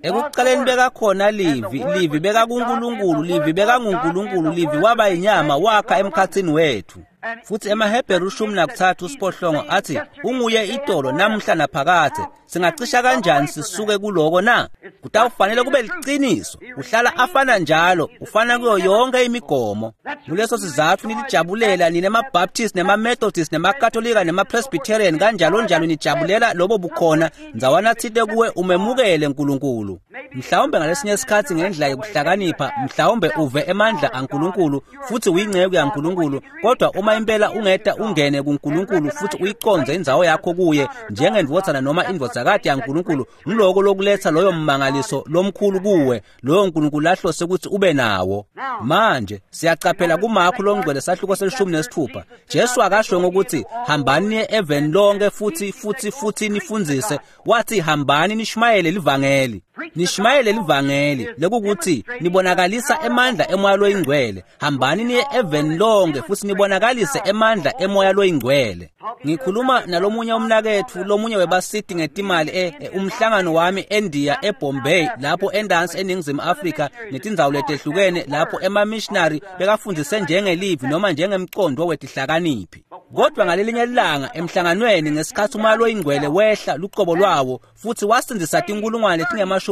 S1: Ekucaleni bekakhona livi, livi bekakuNkulunkulu, livi bekanguNkulunkulu, livi waba inyama wakha emkhatsini wethu. Futhi emaHebheru 13:6 athi unguye itolo namuhla naphakadze. Singacisha kanjani sisuke kuloko na? Kutawufanele kube liciniso, uhlala afana njalo, ufana kuyo yonke imigomo. Kuleso sizatfu nilijabulela nine maBaptist nemaMethodist nemaKatolika nemaPresbyterian kanjalo njalo, nijabulela lobo bukhona ndzawana tsite kuwe umemukele Nkulunkulu. Mhlawumbe ngalesinye isikhatsi ngendlela yokuhlakanipha, mhlawumbe uve emandla aNkulunkulu futhi uyinceku yaNkulunkulu, kodwa uma impela ungeta ungene kuNkulunkulu futhi uyiconze indzawo yakho kuye njengendvodzana noma indvodzakati yaNkulunkulu, ngiloko lokuletsa loyo mmangaliso lomkhulu kuwe, loyo Nkulunkulu lahlose ukuthi ube nawo. Manje siyacaphela kuMakho longcwele sahluko se-16, Jesu akasho ngokuthi hambani niye eveni lonke futhi futhi futhi nifundzise, wathi hambani nishumayele livangeli. Nishumayele livangeli lekukuthi nibonakalisa emandla emoya loyingcwele. Hambani niye eveni lonke futhi nibonakalise emandla emoya loyingcwele. Ngikhuluma nalomunye umnaketfu, lomunye webasiti ngetimali umhlangano wami eNdiya eBombay, lapho endansi eNingizimu Afrika netindzawo letehlukene lapho ema-missionary bekafundise njengelivi noma njengemcondo wetihlakaniphi. Kodwa ngalelinye ilanga emhlanganweni ngesikhatsi umoya loyingcwele wehla lucobo lwawo futhi wasindzisa tinkulungwane letingemashumi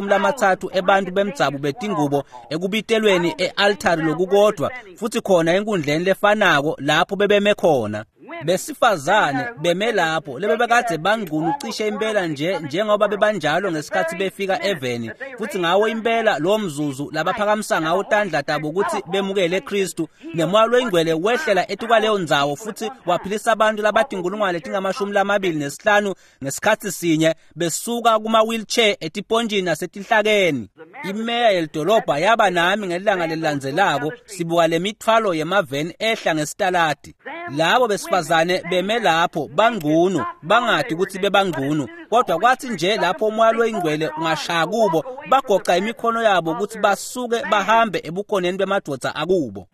S1: ebantfu bemdzabu betingubo ekubitelweni e-altari lokukodvwa, futhi khona enkundleni lefanako lapho bebeme khona. Besifazane beme lapho lebebekadze bangcunu cishe impela nje njengoba bebanjalo ngesikhatsi befika eveni, futhi ngawo impela lowo mzuzu labaphakamisa ngawo tandla tabo ukuthi bemukele Kristu, nemoya loyingcwele wehlela etukwaleyo ndzawo futhi waphilisa abantu labatinkulungwane letingama-25 ngesikhatsi sinye, besuka kuma-wheelchair etipontjini nasetinhlakeni. Imeya yelidolobha yaba nami ngelanga lelilandzelako, sibuka lemithwalo yemaveni ehla ngesitaladi. Labo besifazane beme lapho bangcunu, bangadi ukuthi bebangcunu, kodwa kwathi nje lapho umoya loyingcwele ungashaya kubo, bagoca imikhono yabo ukuthi basuke bahambe ebukhoneni bemadvodza akubo.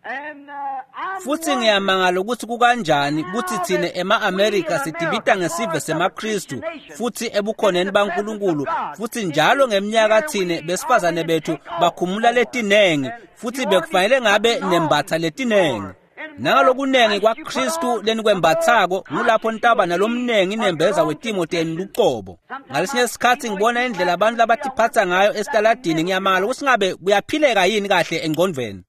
S1: Futhi ngiyamangala ukuthi kukanjani ukuthi thine ema-Amerika sidibita ngesive semaKristu futhi ebukhoneni baNkulunkulu, futhi njalo ngeminyaka thine besifazane bethu bakhumula letinengi, futhi bekufanele ngabe nembatha letinengi. Nangalokunengi kwaKristu lenikwembathako ngulapho nitaba nalomnengi inembeza wetimo tenu lucobo. Ngalesinye isikhatsi ngibona indlela abantu labatiphatsa ngayo esitaladini, ngiyamangala ukuthi ngabe kuyaphileka yini kahle engqondvweni.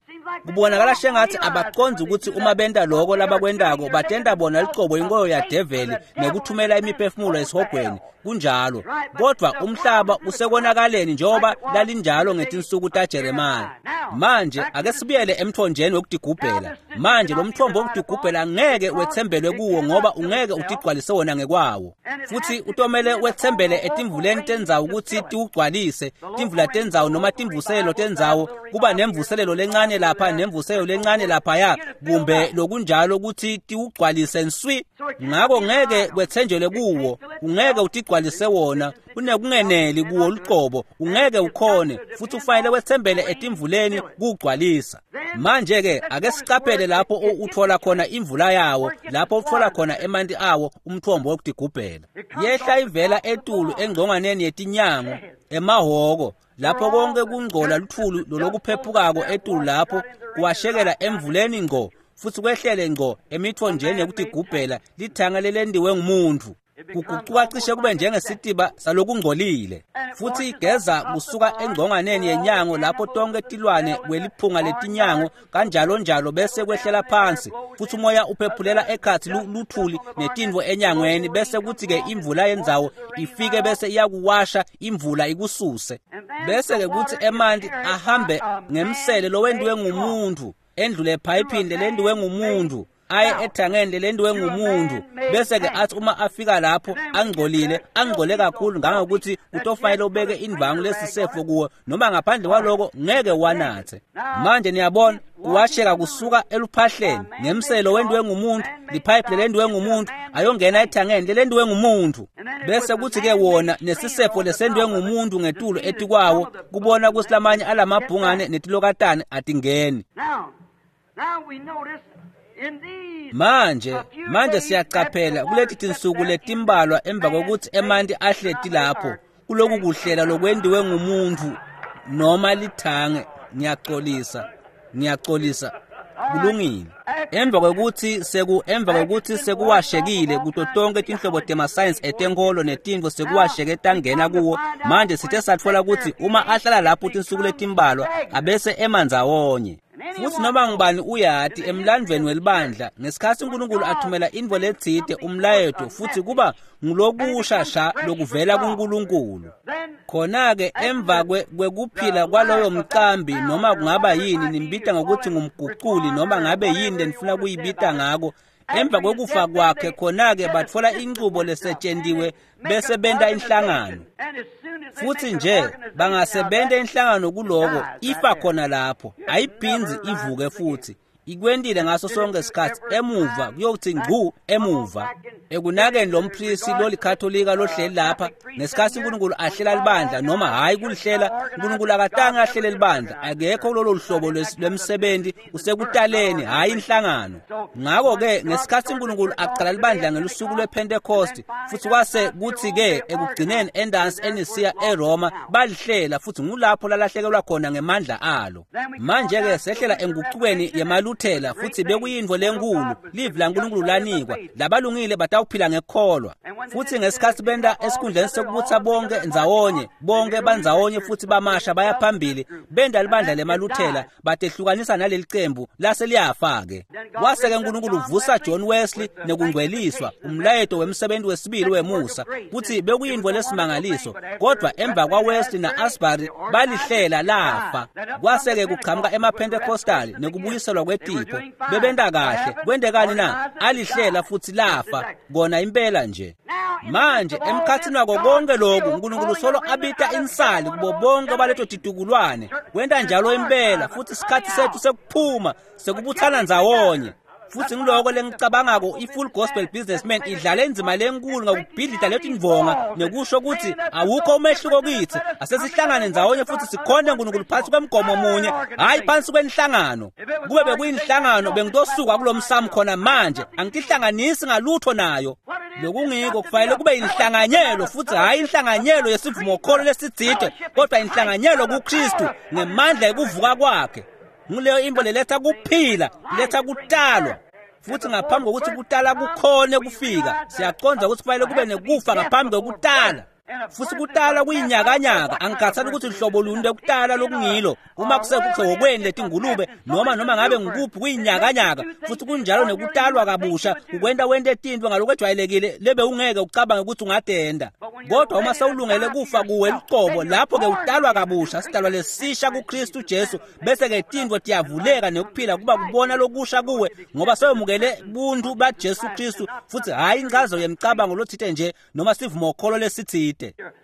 S1: Kubonakala shengathi abacondzi ukuthi uma benta loko labakwentako batenta bona lucobo inkoyo yadeveli nekuthumela imiphefumulo esihogweni. Kunjalo, kodwa umhlaba usekonakaleni njengoba lalinjalo ngetinsuku taJeremiya. Manje ake sibuyele emthonjeni wekutigubhela. Manje lo mthombo wekutigubhela ngeke wetsembelwe kuwo ngoba ungeke utigcwalise wona ngekwawo, futhi utomele wetsembele etimvuleni tendzawo ukuthi tiwugcwalise. Timvula tendzawo noma timvuselelo tendzawo, kuba nemvuselelo lencane lapha nemvuselelo lencane laphaya, kumbe lokunjalo ukuthi tiwugcwalise nswi. Ngako ngeke kwetsenjelwe kuwo, ungeke utigcwalise wona, unekungeneli kuwo lucobo, ungeke ukhone, futhi ufanele wetsembele etimvuleni kuwugcwalisa. Manje-ke ake sicaphele lapho uthola khona imvula yawo, lapho uthola khona emanti awo, umthombo wokutigubhela. Yehla ivela etulu engcongwaneni yetinyango, emahhoko, lapho konke kungcola luthulu lolokuphephukako etulu lapho kuwashekela emvuleni ngqo, futhi kwehlele ngqo emithonjeni yokutigubhela, lithanga lelendiwe ngumuntu. Kugucuka cishe kube njengesitiba salokungcolile, futhi igeza kusuka engconganeni yenyango lapho tonke tilwane kweliphunga letinyango kanjalo njalo bese kwehlela phansi, futhi umoya uphephulela ekhatsi luthuli netintfo enyangweni, bese kuthi-ke imvula yendzawo ifike bese iyakuwasha imvula ikususe, bese-ke kuthi emanti ahambe ngemsele lowentiwe ngumuntu, endlule ephayiphini lelentiwe ngumuntu, aye ethangeni lelentiwe ngumuntu, bese-ke athi uma afika lapho angcolile, angcole kakhulu ngangokuthi utofanele ubeke indvangu lesisefo kuwo, noma ngaphandle kwaloko ngeke wanathe. Manje niyabona kuwasheka kusuka eluphahleni ngemselo wentiwe ngumuntu, liphayiphi lelentiwe ngumuntu, ayongena ethangeni lelentiwe ngumuntu, bese kuthi-ke wona nesisefo lesentiwe ngumuntu ngetulo etikwawo, kubona kutsi lamanye alamabhungane netilokatane atingeni. Manje siyacaphela kuleti tinsuku letimbalwa emva kokuthi emanti ahleti lapho kuloku kuhlela lokwentiwe ngumuntu noma lithange. Ngiyaxolisa kulungile. Emva kokuthi sekuwashekile kuto tonke tinhlobo temasayensi etenkolo netintfo sekuwasheke tangena kuwo, manje sithe satfola ukuthi uma ahlala lapho tinsuku letimbalwa abese emandzawonye. Futhi noma ngubani uyati emlandvweni welibandla ngesikhatsi uNkulunkulu athumela intfo letsite umlayeto, futhi kuba ngulokusha sha lokuvela kuNkulunkulu. Khona-ke emva kwekuphila kwaloyo mcambi, noma kungaba yini nimbita ngokuthi ngumguculi noma ngabe yini lenifuna kuyibita ngako, emva kwekufa kwakhe khona-ke batfola incubo lesetshentiwe bese benta inhlangano. Futhi nje bangasebenta inhlangano kuloko, ifa khona lapho, ayiphindzi ivuke futhi. Ikwentile ngaso sonke isikhatsi emuva kuyokuthi ngcu emuva. Ekunakeni lo mpristi lolikatholika lohleli lapha, ngesikhatsi uNkulunkulu ahlela libandla noma hhayi kulihlela, uNkulunkulu akatange ahlele libandla, akekho kulolo hlobo lwemsebenzi, usekutaleni hhayi inhlangano. Ngakho-ke ngesikhatsi uNkulunkulu aqala libandla ngelusuku lwePhentekosti, futhi kwase kuthi-ke ekugcineni endansi eNisiya eRoma balihlela, futhi ngulapho lalahlekelwa khona ngemandla alo. Manje-ke sehlela engucukweni yemaluthela, futhi bekuyintfo lenkulu, livi laNkulunkulu lanikwa, labalungile batawuphila ngekukholwa. Futhi ngesikhatsi benta esikhundleni sekubutsa bonke ndzawonye, bonke bandzawonye futhi bamasha baya phambili, benta libandla lemaluthela, batehlukanisa naleli cembu lase liyafa-ke. Wase-ke uNkulunkulu uvusa John Wesley nekungcweliswa, umlayeto wemsebenzi wesibili wemusa, futhi bekuyintfo lesimangaliso, kodwa emva kwaWesley na-Asbury balihlela lafa. Kwase-ke kuqhamuka emaPentecostali nekubuyiselwa kwetipho, bebenta kahle, kwentekani na? Alihlela futhi lafa, kona impela nje. Manje emkhathini wako konke lokhu uNkulunkulu solo abita insali kubo bonke baleto titukulwane, kwenta njalo impela, futhi isikhathi sethu sekuphuma sekubuthana ndzawonye. Futhi ngiloko lengicabangako i-Full Gospel Businessman idlala indzima lenkulu ngakubhidlita letindvonga nekusho ukuthi awukho umehluko kitsi, asesihlangane ndzawonye futhi sikhonde uNkulunkulu phansi kwemgomo munye, hhayi phansi kwenhlangano. Kube bekuyinhlangano bengitosuka kulomsamo khona manje, angitihlanganisi ngalutho nayo. Lokungiko kufanele kube inhlanganyelo, futhi hhayi inhlanganyelo yesivumokholo lesitsite, kodwa inhlanganyelo kuKristu ngemandla ekuvuka kwakhe. Nguleyo intfo leletha kuphila, iletha kutalwa. Futhi ngaphambi kokuthi kutala kukhone kufika, siyaqonda ukuthi kufanele kube nekufa ngaphambi kokutala. Futhi kutala kuyinyakanyaka, angikhathali ukuthi hlobo luni lokutala lokungilo, uma kusehokweni letingulube noma ngabe ngikuphi, kuyinyakanyaka. Futhi kunjalo nekutalwa kabusha, ukwenta wente tintfo ngalokwejwayelekile lebe ungeke ucabange ukuthi ungatenda, kodwa uma sewulungele kufa kuwe lucobo, lapho-ke utalwa kabusha, sidalwa lesisha kuKristu Jesu, bese-ke tintfo tiyavuleka nekuphila kuba kubona lokusha kuwe, ngoba sewemukele buntu baJesu Kristu, futhi hhayi incazo yemcabango lotsite nje noma sivumokholo lesitsite.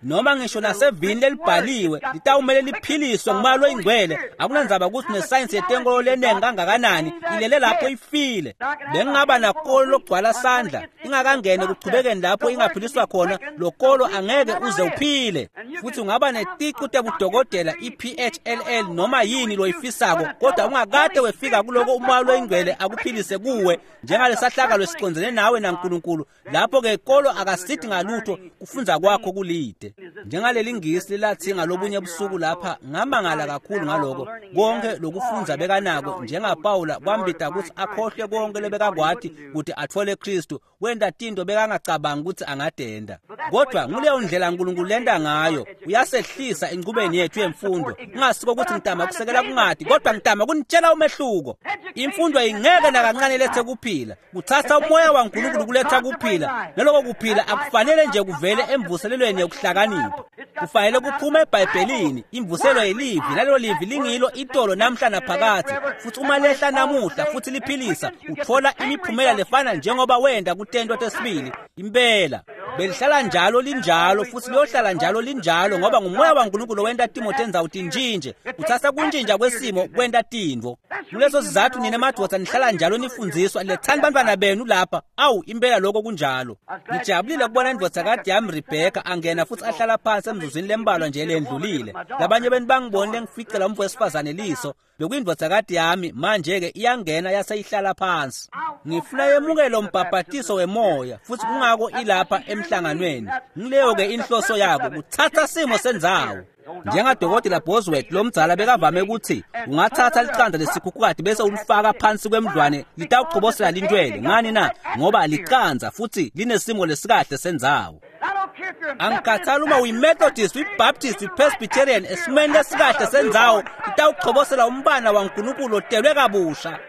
S1: Noma ngisho nasevini lelibhaliwe litawumele liphiliswe ngumoya loyingcwele. Akunandzaba ukuthi nesayensi yetenkolo lenengi kangakanani, ilele lapho ifile. Bengingaba nakolo lokugcwala sandla ingakangeni ekuchubekeni lapho ingaphiliswa khona, lo kolo angeke uze uphile. Futhi ungaba neticu tebudokotela i-PHLL noma yini loyifisako, kodwa ungakade wefika kuloko umoya loyingcwele akuphilise kuwe, njengalesahlakalo esicondzene nawe naNkulunkulu. Lapho-ke kolo akasithi ngalutho, kufunza kwakho kulite. Njengaleli ngisi lathi ngalobunye busuku lapha, ngamangala kakhulu ngaloko. Konke lokufundza bekanako njengaPawula kwambita kutsi akhohlwe konke lebekakwati kuti atfole Kristu, wenta tinto bekangacabangi kutsi angatenta. Kodwa nguleyo ndlela uNkulunkulu lenta ngayo, uyasehlisa enchubeni yethu yemfundo. Kungasiko kutsi ngitama kusekela kungati, kodwa ngitama kunitshela umehluko. Imfundo ingeke nakancane lethe kuphila. Kutsatsa umoya waNkulunkulu kuletha kuphila. Naloko kuphila akufanele nje kuvele emvuselelweni yokuhlakanipha. Kufanele kuphume eBhayibhelini. Imvuselo yelivi, nalelo livi lingilo itolo namhla naphakadze. Futsi uma lehla namuhla futsi liphilisa, utfola imiphumela lefana njengoba wenda kutento tesibili. Impela belihlala njalo linjalo futsi liyohlala njalo linjalo, ngoba ngumoya waNkulunkulu wenta timo tendzawo tintshintje. Utsatsa kuntshintja kwesimo kwenta tintfo. Kuleso sizatfu nina madvodza nihlala njalo nifundziswa, lethani bantfwana benu lapha. Awu, impela lokho kunjalo. Ngijabulile kubona indvodzakati yami Rebheka angena futsi ahlala phansi emzuzwini lembalwa nje lendlulile. Labanye benu bangibonile ngificela umfo wesifazane liso. Bekuyindvodzakati yami, manje-ke iyangena yase ihlala phansi. Ngifuna yemukele umbhabhatiso wemoya, futsi kungako ilapha emhlanganweni. Ngileyo-ke inhloso yako, kutsatsa simo sendzawo. Njengadokotela Bosworth lomdzala bekavame ukuthi ungatsatsa licandza lesikhukhukati bese ulifaka phansi kwemdlwane, litawuchobosela lintwele. Ngani na? Ngoba licandza futsi linesimo lesikahle sendzawo. Angikhathali uma uyiMethodist, uyiBaptist, uyiPresbyterian, esimeni lesikahle sendzawo litawuchobosela umbana waNkulunkulu otelwe kabusha.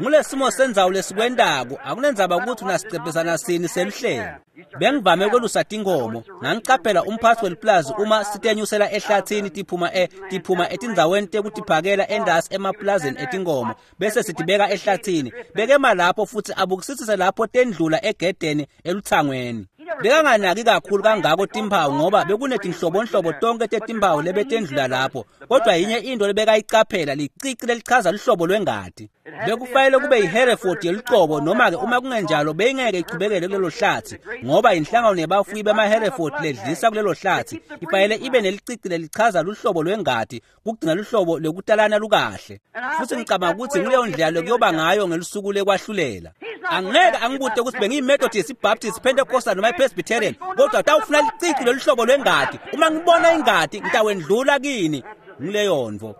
S1: Ngulesimo sendzawo lesikwentako, akunendzaba ukuthi unasicepesana sini seluhlelo. Bengivame kwelusa tinkhomo, ngangicaphela umphatsi weliplazi uma sitenyusela ehlathini tiphuma etindzaweni tekutiphakela endasi emaplazini etinkhomo, bese sitibeka ehlathini. Bekema lapho futsi abukisisise lapho tendlula egedeni eluthangweni. Bekanganaki kakhulu kangako timphawu ngoba bekunetinhlobonhlobo tonke tetimphawu lebetendlula lapho, kodwa yinye into lebekayicaphela, licici lelichaza luhlobo lwengati. Bekufanele kube yiHereford yelucobo, noma-ke uma kungenjalo beyingeke ichubekele kulelo hlatsi, ngoba inhlangano yebafuyi bemaHereford ledlisa kulelo hlatsi ifanele ibe nelicici lelichaza luhlobo lwengati kugcina luhlobo lwekutalana lukahle. Futsi ngicabanga ukuthi nguleyo ndlela lokuyoba ngayo ngelusuku lekwahlulela. Angeke angibute ukuthi bengiyiMethodist, iBaptist, Pentecostal noma iPresbyterian, kodwa tawufuna licici loluhlobo lwengati. Uma ngibona ingati ngitawendlula kini. Nguleyo ntfo.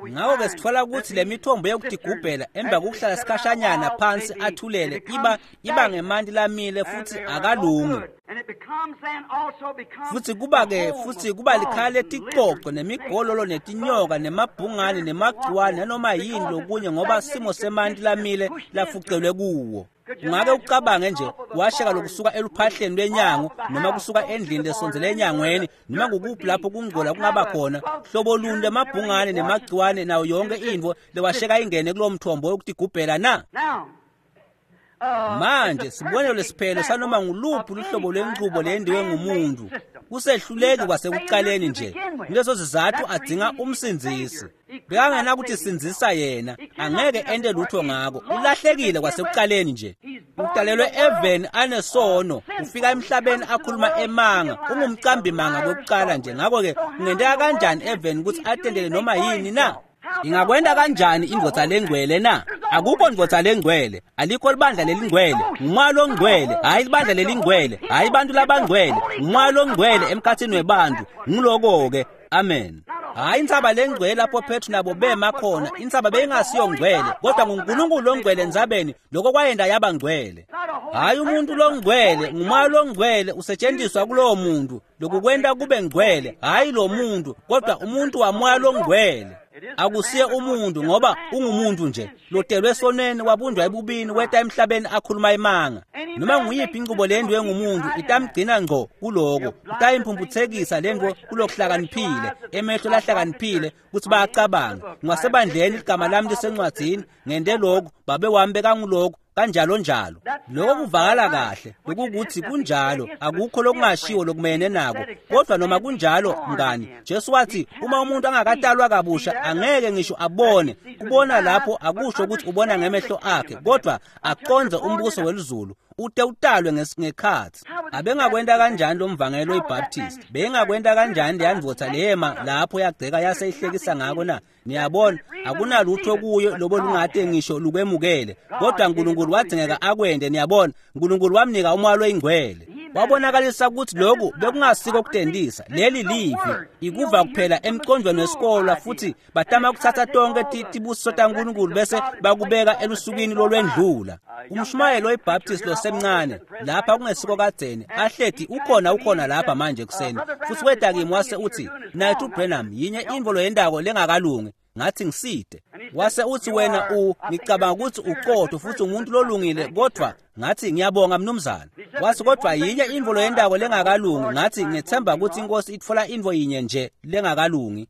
S1: Ngako-ke sitfola ukuthi le mithombo yokutigubhela emva kokuhlala sikhashanyana phansi athulele iba ngemanti lamile futsi akalungi. Futsi kuba-ke futhi kuba likhaya leticoco nemigololo netinyoka nemabhungane nemagciwane nanoma yini lokunye, ngoba simo semanti lamile lafucelwe kuwo. Ungake ucabange nje washeka lokusuka eluphahleni lwenyango noma kusuka endlini lesondzele enyangweni noma kukuphi lapho kungcola kungaba khona, hlobo luni lwemabhungane nemagciwane nayo yonke intfo lewasheka ingene kulowo mthombo wokutigubhela na? Manje sibonelo lesiphelo sanoma nguluphi luhlobo lwenchubo lendiwe ngumuntu kusehluleki kwasekuqaleni nje. Kuleso sizathu adzinga umsindzisi. Bekangenakuthi sindzisa yena, angeke ente lutho ngako. Ulahlekile kwasekuqaleni nje. Utalelwe eveni anesono, ufika emhlabeni akhuluma emanga, ungumcambi manga kokuqala nje. Ngakho-ke kungenteka kanjani eveni ukuthi atendele noma yini na? Ingakwenta kanjani indvodza lengcwele na? Akukho ndvodza lengcwele, alikho libandla lelingcwele, ngumoya longcwele, hhayi libandla lelingcwele, hhayi bantu labangcwele, ngumoya longcwele emkhatsini webantu. Nguloko-ke. Amen. Hhayi intsaba lengcwele lapho Petru nabo bema khona, intsaba beyingasiyo ngcwele, kodwa nguNkulunkulu longcwele entsabeni, lokho kwayenta yaba ngcwele. Hhayi umuntu longcwele, ngumoya longcwele usetshenziswa kulowo muntu, lokukwenta kube ngcwele, hhayi lo muntu, kodwa umuntu wamoya longcwele. Akusiye umuntu ngoba ungumuntu nje lotelwe esonweni, wabunjwa ebubini, weta emhlabeni akhuluma imanga. Noma nguyiphi inqubo lendwe ngumuntu itamgcina ngco kuloko, itayimphumputsekisa lento kulokuhlakaniphile, emehlo lahlakaniphile kutsi bayacabanga. Ngingasebandleni ligama lami lisencwadzini, ngente lokhu, babe wami bekanguloku, kanjalo njalo. Lokho kuvakala kahle, lokukuthi kunjalo, akukho lokungashiwo lokumene nako. Kodwa noma kunjalo, mngani, Jesu wathi uma umuntu angakatalwa kabusha angeke ngisho abone. Kubona lapho akusho ukuthi ubona ngemehlo akhe, kodwa aqondze umbuso welizulu, ute utalwe ngekhatsi. Abengakwenta kanjani lo mvangeli oyiBaptist? Bengakwenta kanjani leyandvodza leyema lapho yagceka yase ihlekisa ngako na? Niyabona, akunalutho kuyo lobo lungate ngisho lukwemukele, kodwa uNkulunkulu wadzingeka akwente. Niyabona, uNkulunkulu wamnika umoya loyingcwele. Wabonakalisa ukuthi lokhu bekungasiko kutendisa, leli livi ikuva kuphela emqondweni wesikolo, futhi batama ukuthatha tonke tibusiso taNkulunkulu bese bakubeka elusukwini lolwendlula. Umshumayeli oyiBaptist losemncane lapha kungesiko kadzeni ahleti ukhona lapha manje kuseni, futhi weta kimi wase uthi, "Mnaketfu Branham, yinye intfo loyentako lengakalungi." Ngathi, "Ngiside." Wase uthi, "Wena ngicabanga ukuthi uqotho futhi umuntu lolungile, kodwa." Ngathi, "Ngiyabonga mnumzane." Wathi, "Kodwa yinye intfo loyentako lengakalungi." Ngathi, "Ngethemba ukuthi inkosi itfola intfo yinye nje lengakalungi."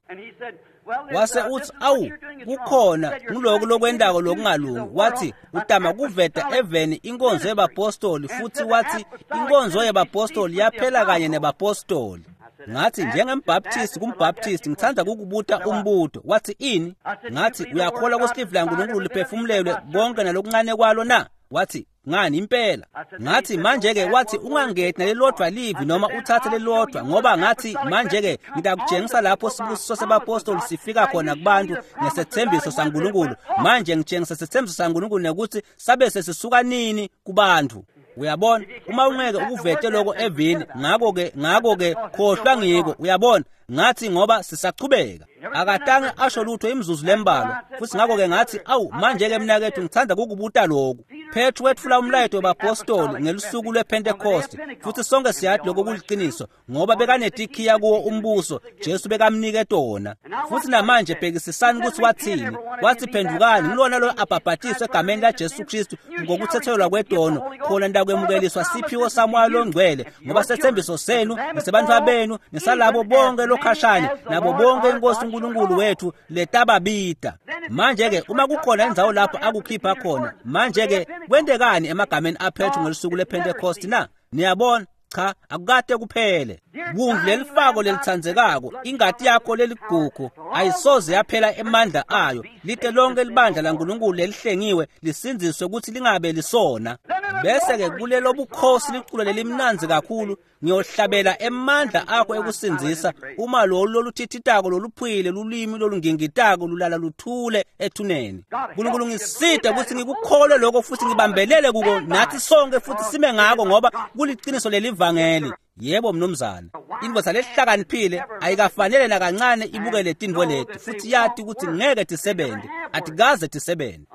S1: Wase uthi, "Awu, kukhona nguloku lokwentako lokungalungi." Wathi, "Utama kuveta eveni inkonzo yebapostoli," futhi wathi, "Inkonzo yebapostoli yaphela kanye nebapostoli." Ngathi, "Njengembaptist kumbaptist, ngithanda kukubuta umbuto." Wathi, "Ini?" Ngathi, "Uyakholwa ukuthi livi laNkulunkulu liphefumulelwe konke nalokuncane kwalo na?" Wathi, "Ngani impela." Ngathi, "Manje-ke," wathi, "ungangeti nalelodwa livi noma uthathe lelodwa, ngoba," ngathi, "manje-ke ngitakutshengisa lapho sibusiso sebapostoli sifika khona kubantu ngesethembiso saNkulunkulu. Manje ngitshengisa sethembiso saNkulunkulu nekuthi sabe sesisuka nini kubantu. Uyabona, uma ungeke ukuvete lokho evini, ngakho-ke khohlwa ngiko. Uyabona?" Ngathi, "Ngoba sisachubeka." Akatange asho lutho imizuzu lembalwa, futhi ngakho-ke ngathi, "Awu, manje-ke mnaketfu, ngithanda kukubuta lokhu. Petru wetfula umlayeto webapostoli ngelusuku lwePhentekoste, futhi sonke siyathi lokho kuliqiniso, ngoba bekanetikhiya kuwo umbuso Jesu bekamnike tona. Futhi namanje bhekisisani ukuthi wathini. Wathi, 'Phendukani, ngilona lo abhabhatiswe egameni laJesu Kristu ngokuthethelelwa kwetono, khona nitakwemukeliswa siphiwo saMoya loNgcwele, ngoba sethembiso senu nesebantfu benu nesalabo bonke lokhashane nabo bonke inkosi uNkulunkulu wethu letababida.' Manje-ke uma kukhona indzawo lapho akukhipha khona, manje-ke kwentekani emagameni aPetru ngelusuku lwePhentekoste na? Niyabona? Cha, akukade kuphele. Wundlu lelifako lelitsandzekako, ingati yakho leligugu ayisoze yaphela emandla ayo, lite lonke libandla laNkulunkulu lelihlengiwe lisindziswe ukuthi lingabe lisona. Bese-ke kulelo bukhosi liculo lelimnandzi kakhulu, ngiyohlabela emandla akho ekusindzisa, uma lolu loluthithitako loluphuyile lulimi lolungingitako lulala luthule ethuneni. Nkulunkulu ngiside ukuthi ngikukholwe lokho futhi ngibambelele kuko nathi sonke futhi sime ngako, ngoba kuliqiniso lelivangeli. Yebo mnumzane, indvodza lehlakaniphile ayikafanele nakancane ibukele tintfo leti futhi yati ukuthi ngeke tisebente, atikaze tisebente.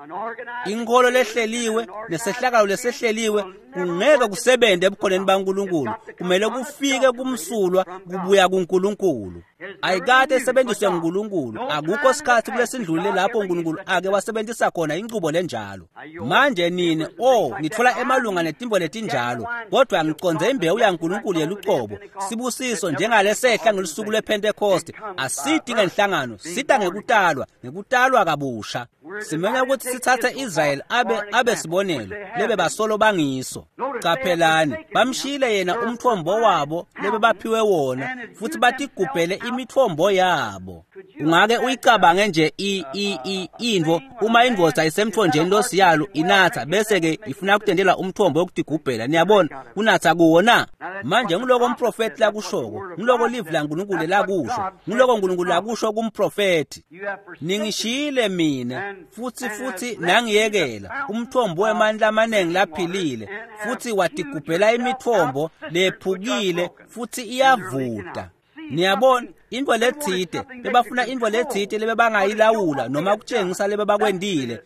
S1: Inkholo lehleliwe nesehlakalo lesehleliwe kungeke kusebente ebukhoneni baNkulunkulu, kumele kufike kumsulwa kubuya kuNkulunkulu. Ayikade isebenziswe nguNkulunkulu, akukho sikhathi kulesindlulile lapho uNkulunkulu ake wasebenzisa khona incubo lenjalo. Manje nini, nitfola emalunga netimbo letinjalo, kodwa ngiconze imbewu yaNkulunkulu yelucobo, sibusiso njengalesehla ngelusuku lwePhentekoste. Asidi ngenhlangano, sita ngekutalwa, ngekutalwa kabusha. Simenya ukuthi sithathe Israel abe sibonelo lebe basolo bangiso. Qaphelani, bamshiyile yena umthombo wabo lebe baphiwe wona, futhi batigubhele imithombo yabo. Ungake uyicabange nje intfo uma indvodza isemthonjeni losiyalo inatha bese-ke ifuna kutendela umthombo wokutigubhela. Niyabona, kunatha kuwo na? Manje ngiloko umprofethi lakushoko, ngiloko livi laNkulunkulu lakusho, ngiloko uNkulunkulu lakusho kumprofethi. Ningishiyile mina futhi nangiyekela umthombo wemandla amaningi laphilile, futhi watigubhela imithombo lephukile futhi iyavuta. Niyabona, intfo letsite bebafuna intfo letsite lebebangayilawula noma kutshengisa lebebakwentile.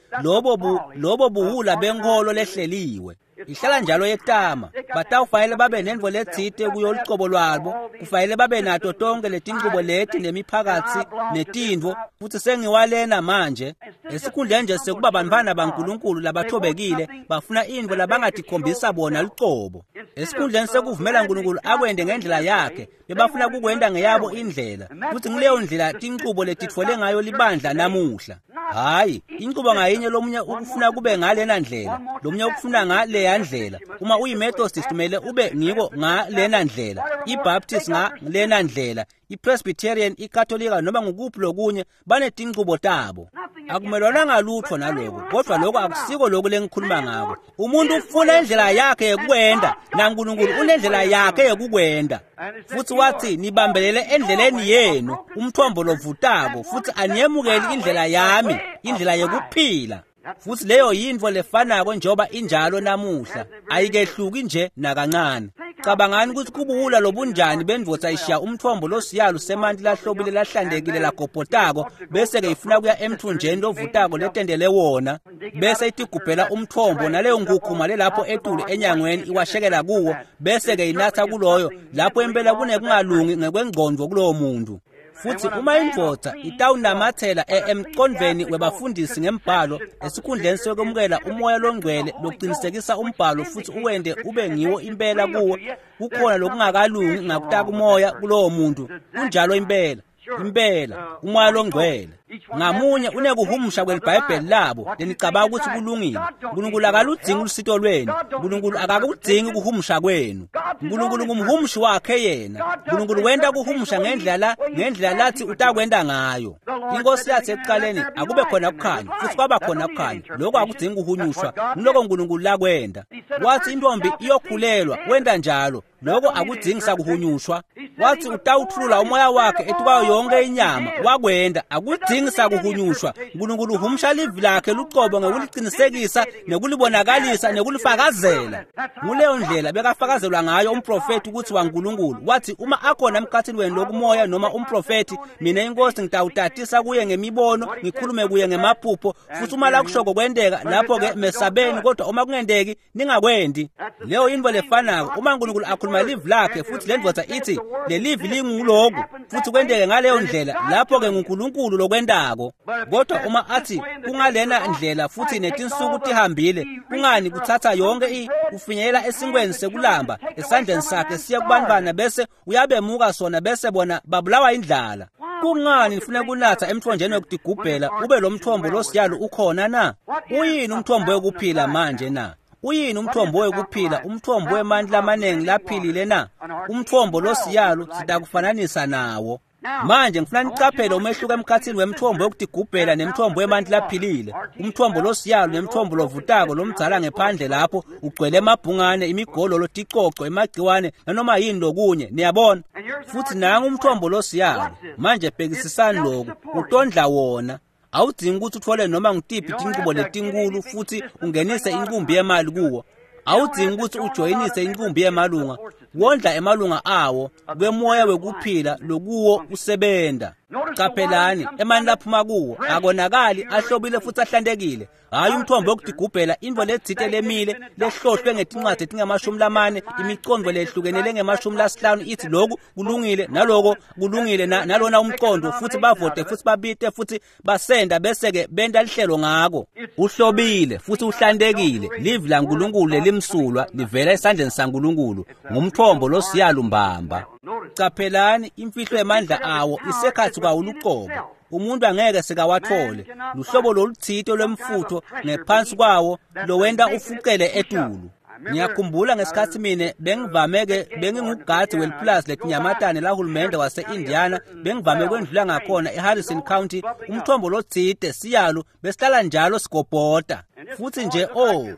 S1: Lobo buhula benkholo lehleliwe. Ihlala njalo yetama, batawufanele babe nentfo letsite kuyo lucobo lwabo, kufanele babe nato tonke letincubo leti nemiphakatsi netintfo, futhi sengiwalena manje. Esikhundleni nje sekuba bantfwana baNkulunkulu labathobekile, bafuna intfo labangatikhombisa bona lucobo. Esikhundleni sekuvumela uNkulunkulu akwente ngendlela yakhe, bebafuna kukwenta ngeyabo indlela, futhi nguleyo ndlela tincubo letitfole ngayo libandla namuhla. Hayi, incubo ngayinye lomunye ukufuna kube ngalena ndlela, lomunye ukufuna ngaleya ndlela. Uma uyiMethodist kumele ube ngiko ngalena ndlela, iBaptist ngalena ndlela, iPresbyterian, iKatolika noma ngukuphi lokunye, banetincubo tabo. Akumelwana ngalutho naloko, kodwa lokho akusiko lokhu lengikhuluma ngako. Umuntu ufuna indlela yakhe yokukwenda, naNkulunkulu unendlela yakhe yokukwenda. Futhi wathi, nibambelele endleleni yenu, umthombo lovutako, futhi aniyemukeli indlela yami, indlela yokuphila. Futhi leyo yintfo lefanako njengoba injalo namuhla, ayikehluki nje nakancane. Cabangani kutsi kubuwula lobunjani bendvodza ishiya umtfombo losiyalu semanti lahlobile lahlantekile lagobhotako bese-ke ifuna kuya emthunjeni lovutako letendele wona, bese itigubhela umtfombo naleyo nkukhuma lelapho etulu enyangweni iwashekela kuwo, bese-ke inatsa kuloyo, lapho impela kunekungalungi ngekwengcondvo kulowo muntu. Futsi uma indvodza itawunamatsela emqondvweni webafundisi ngembhalo esikhundleni sekwemukela umoya longcwele lokuqinisekisa umbhalo futsi uwente ube ngiwo impela kuwo, kukhona lokungakalungi ngakutaka umoya kulowo muntu. Kunjalo impela. Impela umoya longcwele ngamunye unekuhumusha kwelibhayibheli labo lenicabanga ukuthi kulungile. Nkulunkulu akaludzingi ulusito lwenu. Nkulunkulu akakudzingi ukuhumusha kwenu. Nkulunkulu ngumhumushi wakhe yena. Nkulunkulu wenta kuhumusha ngendlela lathi utakwenta ngayo. Inkosi yathi ekuqaleni akube khona kukhanya, futhi kwaba khona kukhanya. Lokho akudzingi kuhunyushwa, ngiloko Nkulunkulu lakwenta. Wathi intombi iyokhulelwa, wenta njalo. Lokho akudzingi sakuhunyushwa. Wathi utawuthulula umoya wakhe etukwayo yonke inyama, wakwenda. Akudzingi sakuhunyushwa. Nkulunkulu uhumusha livi lakhe luqobo ngekuliqinisekisa nekulibonakalisa nekulifakazela. Nguleyo ndlela bekafakazelwa ngayo umprofethi ukuthi waNkulunkulu. Wathi uma akhona emkhathini wenu lokumoya noma umprofethi, mina inkosi ngitawutatisa kuye ngemibono, ngikhulume kuye ngemaphupho, futhi uma lakushoko kwenteka, lapho-ke mesabeni, kodwa uma kungenteki ningakwendi. Leyo yintfo lefanako uma Nkulunkulu akhuluma livi lakhe futhi le ndvodza ithi lelivi linguloku futhi kwenteke ngaleyo ndlela, lapho-ke nguNkulunkulu lokwentako. Kodwa uma athi kungalena ndlela futhi netinsuku tihambile, kungani kuthatha yonke kufinyelela esinkweni sekulamba esandleni sakhe siye kubantwana bese uyabemuka sona bese bona babulawa indlala. Kungani nifuna kunatha emthonjeni wekutigubhela ube lo mthombo losiyalo ukhona na? Uyini umthombo wekuphila manje na? Uyini umthombo wekuphila, umthombo wemandla amaningi laphilile na? Umthombo losiyalo sitakufananisa nawo. Manje ngifuna nicaphele umehluko emkhathini wemthombo wekutigubhela nemthombo wemanti laphilile. Umthombo losiyalo nemthombo lovutako lomdzala ngephandle lapho ugcwele emabhungane, imigololo, ticoco, emagciwane nanoma yini lokunye, niyabona. Futhi nangu umthombo losiyalo. Manje bhekisisani lokhu, utondla wona. Awudzingi ukuthi uthole noma ngutiphi tinqubo letinkulu futhi ungenise inqumbi yemali kuwo. Awudzingi ukuthi ujoyinise inqumbi yemalunga. Wondla emalunga awo kwemoya wekuphila lokuwo usebenta. Qaphelani emanti laphuma kuwo akonakali, ahlobile futhi ahlantekile. Hayi umthombo wokutigubhela, intfo letsite lemile lehlohlwe ngetincwadi letingamashumi lamane, imicondvo lehlukene lengemashumi lasihlanu ithi lokhu kulungile naloko kulungile nalona umcondo, futhi bavote futhi babite futhi basenda bese-ke benta lihlelo ngako. Uhlobile futhi uhlantekile. Livi laNkulunkulu lelimsulwa livela esandleni saNkulunkulu, ngumthombo losiyalo mbamba. Caphelani imfihlo yemandla awo isekhathi kwawo luqobo. Umuntu angeke sekawathole. Luhlobo lolutsite lwemfutho ngephansi kwawo lowenta ufucele etulu. Ngiyakhumbula ngesikhathi mine bengivame-ke bengingugadzi welipulazi letinyamatane lahulumende wase-Indiana, bengivame kwendlula ngakhona eHarrison County, umthombo lotsite siyalo besihlala njalo sigobhota. Futhi nje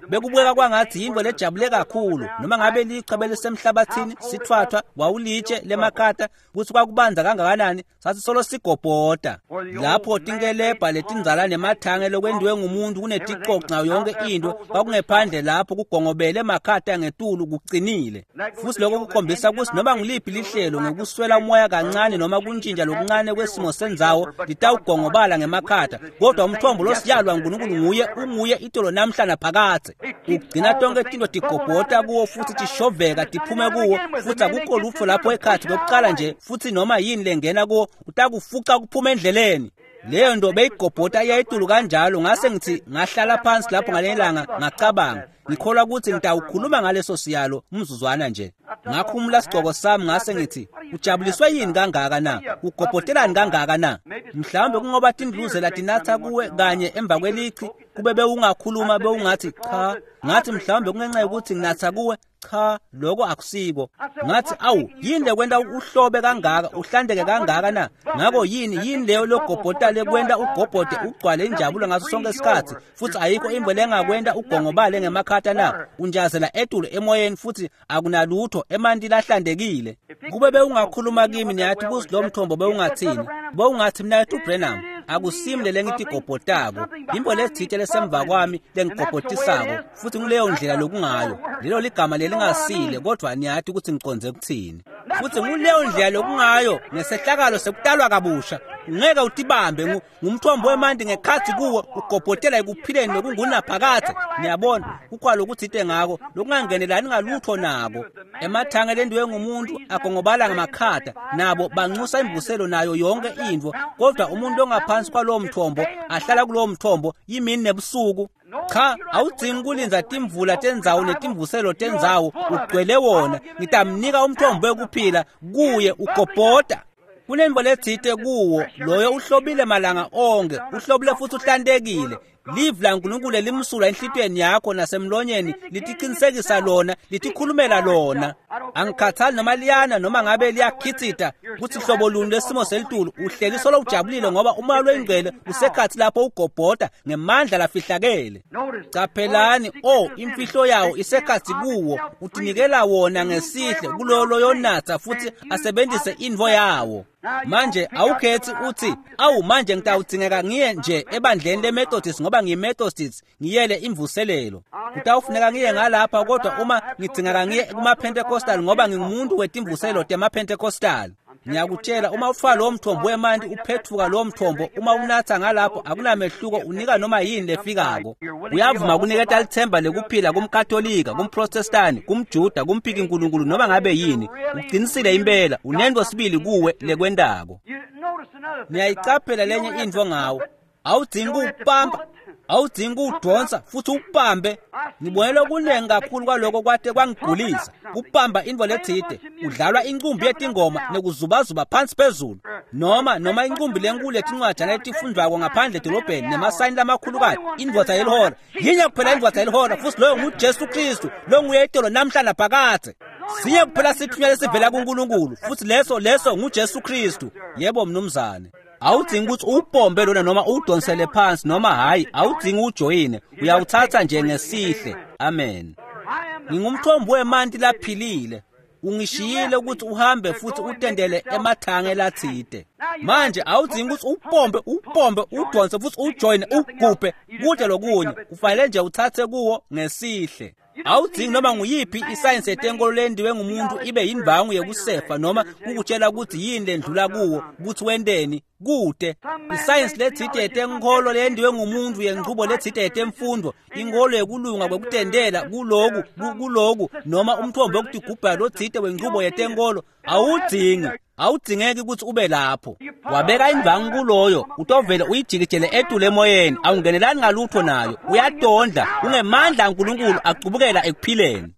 S1: bekubukeka kwangathi yintfo lejabule kakhulu, noma ngabe lichwa belisemhlabathini sithwathwa wawulitshe lemakhata kutsi kwakubanza kangakanani, sathi solo sigobhota. Lapho tinkelebha letindzala nemathange lokwentiwe ngumuntu kuneticoco nayo yonke into kwakungephandle lapho kugongobele emakhata ngetulu kucinile. Futhi lokho kukhombisa ukuthi noma nguliphi lihlelo ngekuswela umoya kancane noma kuntshintsha lokuncane kwesimo sendzawo litawugongobala ngemakhata, kodwa umthombo losiyalo waNkulunkulu nguye unguye itolo namhla naphakadze. Ugcina tonke tinto tigobhota kuwo futhi tishoveka tiphume kuwo, futhi akukho lutho lapho ekhathi kokuqala nje, futhi noma yini lengena kuwo utakufuca kuphuma endleleni. Leyo nto beyigobhota iyayitulu kanjalo. Ngase ngithi ngahlala phansi lapho ngalelanga ngacabanga, ngikholwa ukuthi ngitawukhuluma ngaleso siyalo umzuzwana nje. Ngakhumula sigcoko sami ngase ngithi, ujabuliswe yini kangaka na? Ugobhotelani kangaka na? Mhlawumbe kungoba tindluzela tinatha kuwe kanye emva kwelichi, kube bewungakhuluma bewungathi cha. Ngathi mhlawumbe kungenxa yokuthi nginatha kuwe. Cha, lokho akusiko. Ngathi awu, yini lekwenta uhlobe kangaka, uhlandeke kangaka na? Ngako yini leyo logobhota lekwenta ugobhote ugcwale injabulo ngaso sonke isikhathi, futhi ayikho imbo lengakwenta ugongobale ngemakhata na? Unjazela etulu emoyeni futhi akunalutho, emanti lahlantekile. Kube bewungakhuluma kimi niyathi kusi lo mthombo bewungathini? Bewungathi mnaketfu Branham, Akusimi lelengitigobhotako, yintfo letsite lesemva kwami lengigobhotisako, futhi nguleyo ndlela lokungayo. Lelo ligama lelingasile, kodwa niyati ukuthi ngicondze kuthini. Futhi nguleyo ndlela lokungayo ngesehlakalo sekutalwa kabusha. Ungeke utibambe, ngumthombo wemanti ngekhatsi kuwo ugobhotela ekuphileni lokungunaphakadze. Niyabona, kukhona lokutsite ngako lokungangenelani ngalutho nako. Emathange lendiwe ngumuntu agongobala ngamakhata, nabo banxusa imvuselo nayo yonke intfo, kodwa umuntu ongaphansi kwalowo mthombo ahlala kulowo mthombo imini nebusuku. Cha, awudzingi kulindza timvula tendzawo netimvuselo tendzawo, ugcwele wona. Ngitamnika umthombo wekuphila, kuye ugobhota. Kunentfo letsite kuwo, loyo uhlobile malanga onke, uhlobile futhi uhlantekile. Livi laNkulunkulu lelimsulwa enhlitiyweni yakho nasemlonyeni litiqinisekisa lona, litikhulumela lona. Angikhathali noma liyana noma ngabe liyakhitsita kutsi hlobo luni lwesimo selitulu, uhleli solo ujabulile ngoba umoya loyingcwele usekhatsi lapho ugobhota ngemandla lafihlakele. Caphelani, imfihlo yawo isekhatsi kuwo, utinikela wona ngesihle kuloyo loyonatsa futhi asebenzise intfo yawo. Manje awukhethi uthi, awu manje ngitawudzingeka ngiye nje ebandleni leMethodist ngoba ngiyiMethodist, ngiyele imvuselelo. Kutawufuneka ngiye ngalapha, kodwa uma ngidzingeka ngiye kuma-Pentecostal ngoba ngingumuntu wetimvuselo tema-Pentecostal. Ngiyakutshela, uma ufaka lowo mthombo wemanti uphethuka lowo mthombo, uma unatha ngalapho akunamehluko, unika noma yini lefikako. Uyavuma kuniketa lithemba lekuphila kumKatolika, kumProtestani, kumJuda, kumphiki nkulunkulu noma ngabe yini. Uqinisile impela, unento sibili kuwe lekwentako. Niyayicaphela lenye intfo ngawo. Awudzingi kuwupampa, awudzingi kuwudonsa futhi upambe. Ngibone lokunengi kakhulu kwaloko kwate kwangigulisa. Kupamba intfo letsite, udlalwa incumbi yetingoma nekuzubazuba phansi phezulu, noma incumbi lenkulu yetincwajana letifundvwako ngaphandle edolobheni nemasayini lamakhulukati, indvodza yelihora. Yinye kuphela indvodza yelihora, futhi loyo nguJesu Kristu, longuye itolo namhla naphakadze. Sinye kuphela sithunywa lesivela kuNkulunkulu, futhi leso nguJesu Kristu. Yebo mnumzane. Awudzingi ukuthi uwupompe lona noma uwudonsele phansi noma hhayi, awudzingi ujoyine, uyawuthatha nje ngesihle. Amen. Ngingumthombo wemanti laphilile. Ungishiyile ukuthi uhambe futhi utendele emathange latsite. Manje awudzingi ukuthi upompe, upompe, udonse futhi ujoyine, ugubhe kude lokunye. Kufanele nje uthathe kuwo ngesihle. Awudzingi noma nguyiphi isayensi yetenkolo lendiwe ngumuntu ibe yindvangu yekusefa noma kukutshela ukuthi yini lendlula kuwo, ukuthi wenteni kude. Isayensi letsite yetenkholo lendiwe ngumuntu yenchubo letsite yetemfundo, inkholo yekulunga kwekutendela kuloku kuloku noma umthombo wekutigubha lotsite wenchubo yetenkolo, awudzingi. Awudzingeki ukuthi ube lapho. Wabeka indvangu kuloyo, utovele uyijikijele etulu emoyeni, awungenelani ngalutho nayo, uyatondla, ungemandla aNkulunkulu acubukela ekuphileni.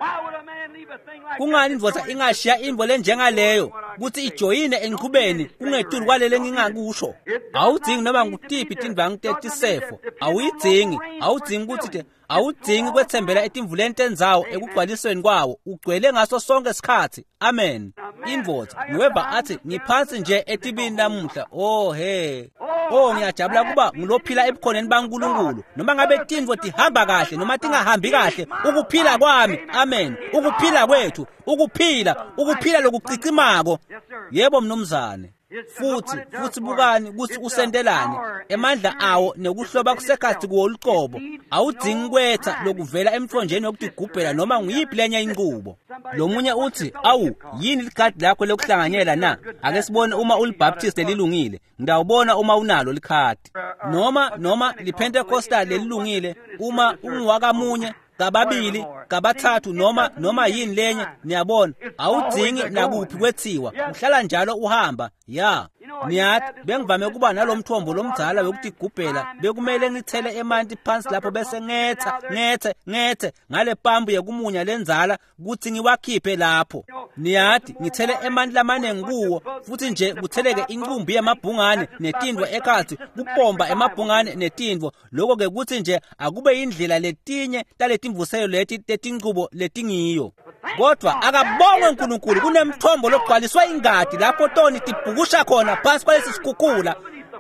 S1: Kungani indvodza ingashiya intfo lenjengaleyo kutsi ijoyine enchubeni kungetulu kwalele ngingakusho? Awudzingi noma ngutiphi tindvangu tetisefo, awuyidzingi, awudzingi kutsi awudzingi kwetsembela etimvuleni tendzawo ekugcwalisweni kwawo, ugcwele ngaso sonke sikhatsi. Amen. Indvodza ngiweva athi ngiphansi nje etibini namuhla. Oh he. Oh, ngiyajabula kuba ngilophila ebukhoneni baNkulunkulu. Noma ngabe tintfo tihamba kahle noma tingahambi kahle, ukuphila kwami. Amen. Ukuphila kwethu, ukuphila lokucicimako. Yebo mnumzane. Futhi bukani kutsi usentelani emandla awo nekuhloba kusekhatsi kuwo lucobo. Awudzingi kwetsa lokuvela emthonjeni wekutigubhela noma nguyiphi lenye inqubo. Lomunye uthi, awu yini likhadi lakho lokuhlanganyela na? Ake sibone uma uliBaptist lelilungile, ngidawubona uma unalo likhadi. Noma liPentecostal lelilungile, uma unguwakamunye, kababili, kabathathu noma yini lenye, niyabona, awudzingi nakuphi kwetsiwa, uhlala njalo uhamba. Ya, niyathi bengivame kuba nalomthombo lomdzala wekutigubhela, bekumele ngithele emanti phansi lapho bese ngethe ngale pampu yekumunya lendzala kutsi ngiwakhiphe lapho. Niyathi ngithele emanti lamanengi kuwo, futhi nje kutheleke incumbi yemabhungane netintfo ekhatsi, kupomba emabhungane netintfo. Lokho ke kutsi nje akube indlela letinye taletimvuselo leti tetinchubo letingiyo. Kodwa akabongwe uNkulunkulu, kunemthombo logcwaliswa ingadi lapho toni tibhukusha khona phansi kwalesi sikhukhula.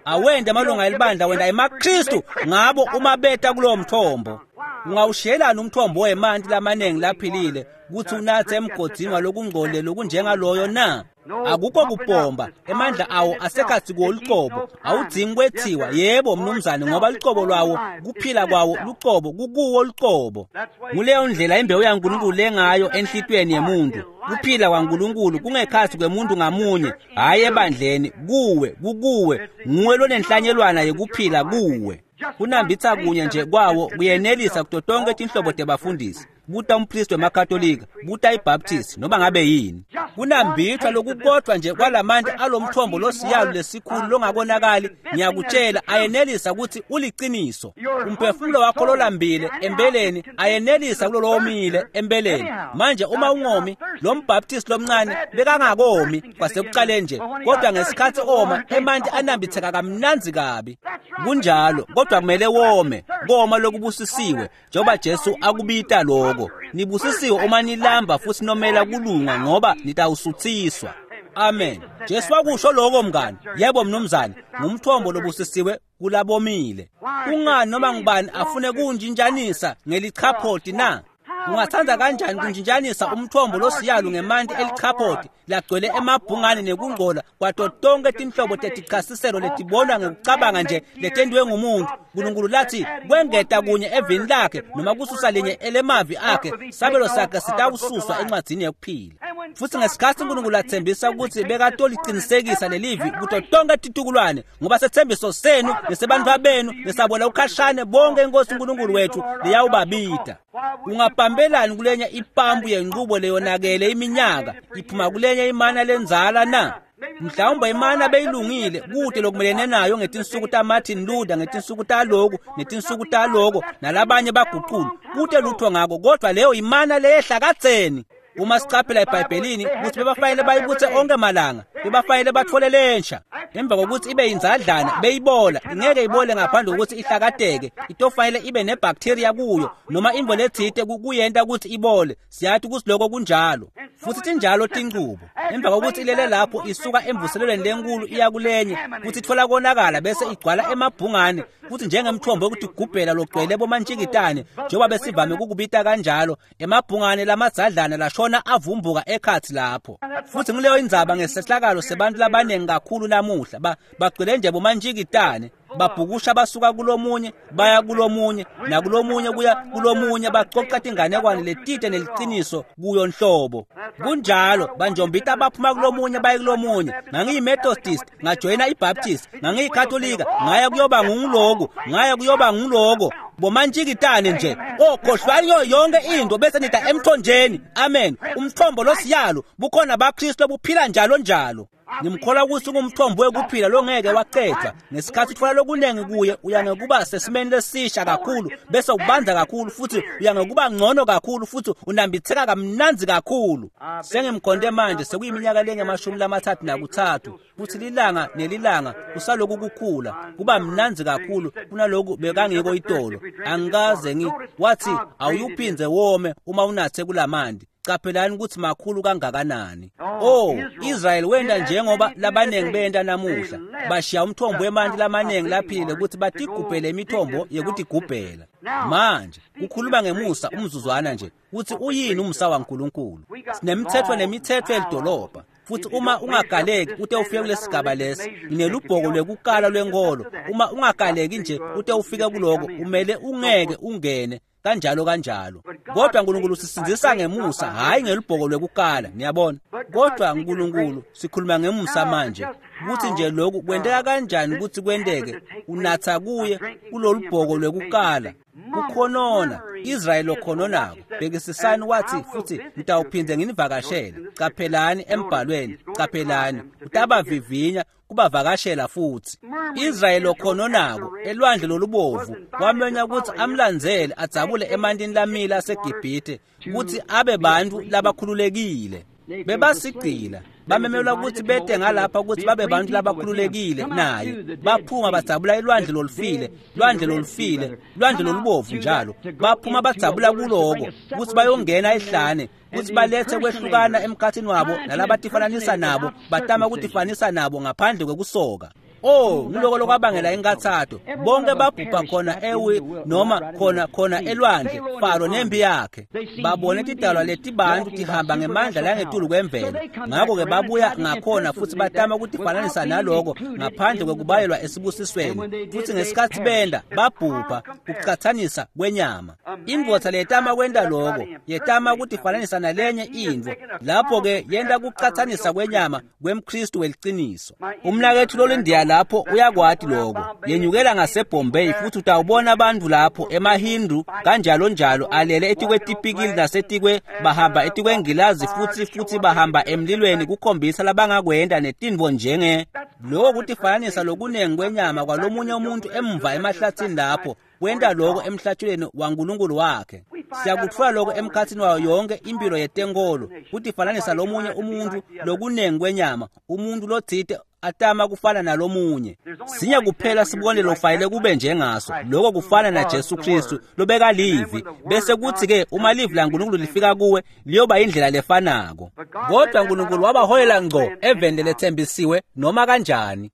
S1: Awende amalunga elibandla, wenda emaKristu ngabo uma beta kulowo mthombo. Ungawushiyelani umthombo wemanti lamanengi laphilile kutsi unatse emgodzini walokungcolile lokunjengaloyo na? Akukho kupomba, emandla awo asekhatsi kuwo lucobo, awudzingi kwethiwa. Yebo mnumzane, ngoba lucobo lwawo, kuphila kwawo lucobo kukuwo lucobo. Nguleyo ndlela imbewu yaNkulunkulu lengayo enhlitiyweni yemuntu. Kuphila kwaNkulunkulu kungekhatsi kwemuntu ngamunye, hhayi ebandleni, kuwe, kukuwe, nguwe lonenhlanyelwana yekuphila kuwe. Kunambitsa kunye nje kwawo kuyenelisa kuto tonke tinhlobo tebafundisi. Buta umpristi wemaKatolika, buta iBaptist, noma ngabe yini. Kunambithwa lokukodwa nje kwalamanti alomthombo losiyalo lesikhulu longabonakali, ngiyakutshela, ayenelisa ukuthi uliciniso. Umphefumulo wakho lolambile empeleni ayenelisa kulolowomile empeleni. Manje uma ungomi, lo mBaptist lomncane bekangakomi kwasekuqaleni nje, kodwa ngesikhathi oma, emanti anambitheka kamnandzi kabi. Kunjalo, kodwa kumele wome, koma lokubusisiwe, njengoba Jesu akubita lokho. Nibusisiwe uma nilamba futhi nomela kulunga, ngoba nitawusuthiswa. Amen. Jesu wakusho lokho mngani. Yebo mnumzane, ngumthombo lobusisiwe kulabomile. Kungani noma ngubani afune kunjinjanisa ngelichaphoti na? Ungathanda kanjani kunjinjanisa umthombo losiyalu ngemanti elichaphoti lagcwele emabhungane nekungcola kwato tonke tinhlobo tetichasiselo letibonwa ngekucabanga nje letentiwe ngumuntu. Nkulunkulu lathi kwengeta kunye evini lakhe noma kususa linye elemavi akhe, sabelo sakhe sitawususwa encwadzini yekuphila. Futhi ngesikhathi uNkulunkulu athembisa ukuthi bekatolicinisekisa lelivi kuto tonke titukulwane, ngoba sethembiso senu nesebantfu benu nesabola ukhashane bonke inkosi uNkulunkulu wethu liyawubabida. Ungabambelani kulenye ipampu yenqubo leyonakele iminyaka iphuma kulenye imana lenzala na? Mhlawumbe imana beyilungile kude lokumelene nayo ngetinsuku taMartin Luther, ngetinsuku taloku netinsuku taloko nalabanye baguqulu, kude lutho ngako, kodwa leyo imana leyehla kadzeni. Uma sicaphela eBhayibhelini ukuthi bebafanele bayibuthe onke malanga, bebafanele bathole lensha. Emva kokuthi ibe yinzadlana beyibola, ingeke ibole ngaphandle kokuthi ihlakateke, itofanele ibe nebacteria kuyo noma imvo letsite kuyenta ukuthi ibole. Siyathi ukuthi lokho kunjalo, futhi tinjalo tincubo. Emva kokuthi ilele lapho isuka emvuselelweni lenkulu iya kulenye, futhi ithola konakala bese igcwala emabhungane, futhi njengemthombo wokutigubhela logcwele bomantshikitane, njengoba besivame ukukubita kanjalo, emabhungane lamadzadlana lashona avumbuka ekhathi lapho. Futhi nguleyo indzaba ngesehlakalo sebantu labaningi kakhulu namuhla, bagcwele nje bomantshikitane, babhukusha basuka kulomunye baya kulomunye nakulomunye kuya kulomunye, bacoca tinganekwane letite neliciniso kuyo nhlobo. Kunjalo, banjombita baphuma kulomunye baye kulomunye. NgangiyiMethodist, ngajoyina iBaptist, ngangiyikatolika, ngaya kuyoba nguloku, ngaya kuyoba nguloko. Bomantshikitane nje, okhohlwani yonke into bese nida emthonjeni. Amen. Umthombo losiyalo bukhona baKristu obuphila njalo njalo. Ngimkholwa ukuthi ungumthombo wekuphila longeke wacedwa. Ngesikhathi uthola lokunengi kuye, uya ngekuba sesimeni lesisha kakhulu, bese ubanza kakhulu, futhi uya ngekuba ngcono kakhulu, futhi unambitheka kamnandzi kakhulu. Sengimkhonde manje sekuyiminyaka lengamashumi 33, futhi lilanga nelilanga kusaloku kukhula, kuba mnandzi kakhulu kunaloku bekangiko itolo. Angikaze wathi awuyuphindze wome uma unathe kulamanti. Caphelani ukuthi makhulu kangakanani. Oh, Israel wenda njengoba labaningi benta namuhla, bashiya umthombo wemanti lamaningi laphile ukuthi batigubhele imithombo yekutigubhela. Manje kukhuluma ngemusa umzuzwana nje, ukuthi uyini umusa waNkulunkulu. Sinemithetho nemithetho yelidolobha, futhi uma ungagaleki ute ufike kulesigaba lesi, nginelubhoko lwekukala lwenkolo. Uma ungagaleki nje ute ufike kuloko, umele ungeke ungene kanjalo kanjalo. Kodwa uNkulunkulu sisindzisa ngemusa, hhayi ngelubhoko lwekukala, niyabona. Kodwa uNkulunkulu sikhuluma ngemusa manje, ukuthi nje lokhu kwenteka kanjani ukuthi kwenteke, unatha kuye kulolubhoko lwekukala. Kukhonona, Israyeli okhononako. Bhekisisani wathi futhi ngitawuphinde nginivakashele. Caphelani embhalweni, caphelani, utabavivinya kubavakashela futhi. Israyeli okhononako elwandle lolubovu wamenya ukuthi amlandzele adzabule emantini lamile aseGibhithe ukuthi abe bantu labakhululekile. Bebasigcila, bamemelwa ukuthi bete ngalapha ukuthi babe bantu labakhululekile naye. Baphuma badzabula elwandle lolufile, lwandle lolufile, lwandle lolubovu njalo. Baphuma badzabula kuloko ukuthi bayongena ehlane, ukuthi balethe kwehlukana emkhathini wabo nalabatifananisa nabo, batama ukutifanisa nabo ngaphandle kwekusoka. Oh, nguloko lokwabangela inkathato. Bonke babhubha khona ewi noma khona elwandle, Faro nempi yakhe. Babone tidalwa letibantu tihamba ngemandla langetulu kwemvelo. Ngakho-ke babuya ngakhona futhi batama ukutifananisa naloko ngaphandle kwekubayelwa esibusisweni. Futhi ngesikhathi benda babhubha kucathanisa kwenyama. Indvodza leyetama kwenta loko, yetama ukutifananisa nalenye intfo. Lapho-ke yenta kucathanisa kwenyama kwemKristu weliciniso. Umnaketfu lolindiya lapho uyakwati loko. Yenyukela ngaseBombay futhi utawubona abantu lapho emaHindu kanjalo njalo alele etikwetipikili nasetikwe bahamba etikwengilazi futhi bahamba emlilweni kukhombisa labangakwenda netintfo njenge loko kutifananisa lokunengi kwenyama kwalomunye umuntu emva emahlathini lapho kwenta loko emhlatshweni waNkulunkulu wakhe. Siyakutfola loko emkhatsini wayo yonke impilo yetenkolo, kutifananisa lomunye umuntu lokunengi kwenyama, umuntu lotsite atama kufana nalomunye. Sinye kuphela sibonelo lofanele kube njengaso, lokho kufana naJesu Kristu lobeka livi, bese kuthi-ke uma livi laNkulunkulu lifika kuwe liyoba indlela lefanako. Kodwa uNkulunkulu wabaholela ngco eveni leletsembisiwe noma kanjani.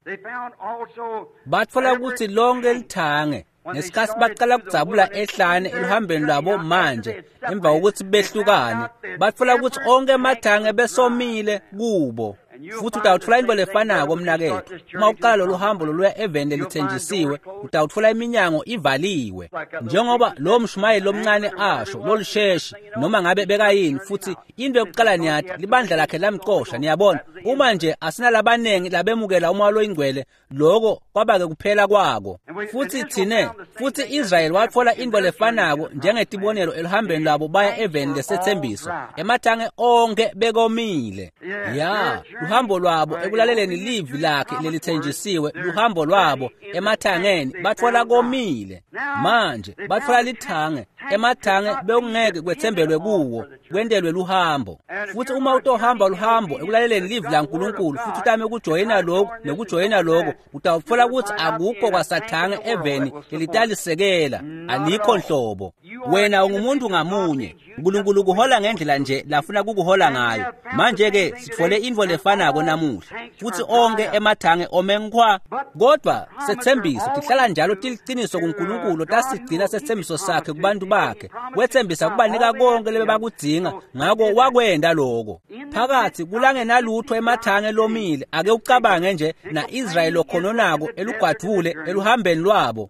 S1: Batfola kutsi lonke lithange ngesikhathi baqala kudzabula ehlane eluhambeni lwabo manje emva kokuthi behlukane, batfola kutsi onke emathange besomile kubo. Futhi utawutfola intfo lefanako mnaketfu. Uma uqala lolu hambo loluya eveni lelithenjisiwe, utawutfola iminyango ivaliwe. Njengoba lowo mshumayeli lomncane asho, lolusheshi, noma ngabe bekayini, futhi into yokuqala niyati, libandla lakhe lamcosha, niyabona. Uma nje asinalabanengi labemukela umoya loyingcwele, loko kwaba-ke kuphela kwako. Futhi thine, futhi Israyeli watfola intfo lefanako njengetibonelo eluhambeni lwabo baya eveni lesethembiso. Emathange onke bekomile. Ya, luhambo lwabo ekulaleleni livi lakhe lelithenjisiwe, luhambo lwabo emathangeni batfola komile. Manje batfola lithange, emathange bekungeke kwetsembelwe kuwo, kwentelwe luhambo. Futhi uma utohamba luhambo ekulaleleni livi laNkulunkulu futhi utame ukujoyina lokhu nekujoyina lokho, utawutfola kutsi akukho kwasathange eveni lelitalisekela, alikho nhlobo. Wena ungumuntu ngamunye. uNkulunkulu kuhola ngendlela nje lafuna kukuhola ngayo. Manje-ke sitfole intfo lefanako namuhla, futhi onke emathange ome nkhwa. Kodwa sethembiso tihlala njalo tiliciniso kuNkulunkulu, tasigcina sethembiso sakhe kubantu bakhe. Wethembisa kubanika konke lebebakudzinga, ngako wakwenta loko. Phakathi kulangenalutho emathange lomile, ake ucabange nje na-Israyeli lokhononako elugwadvule eluhambeni lwabo.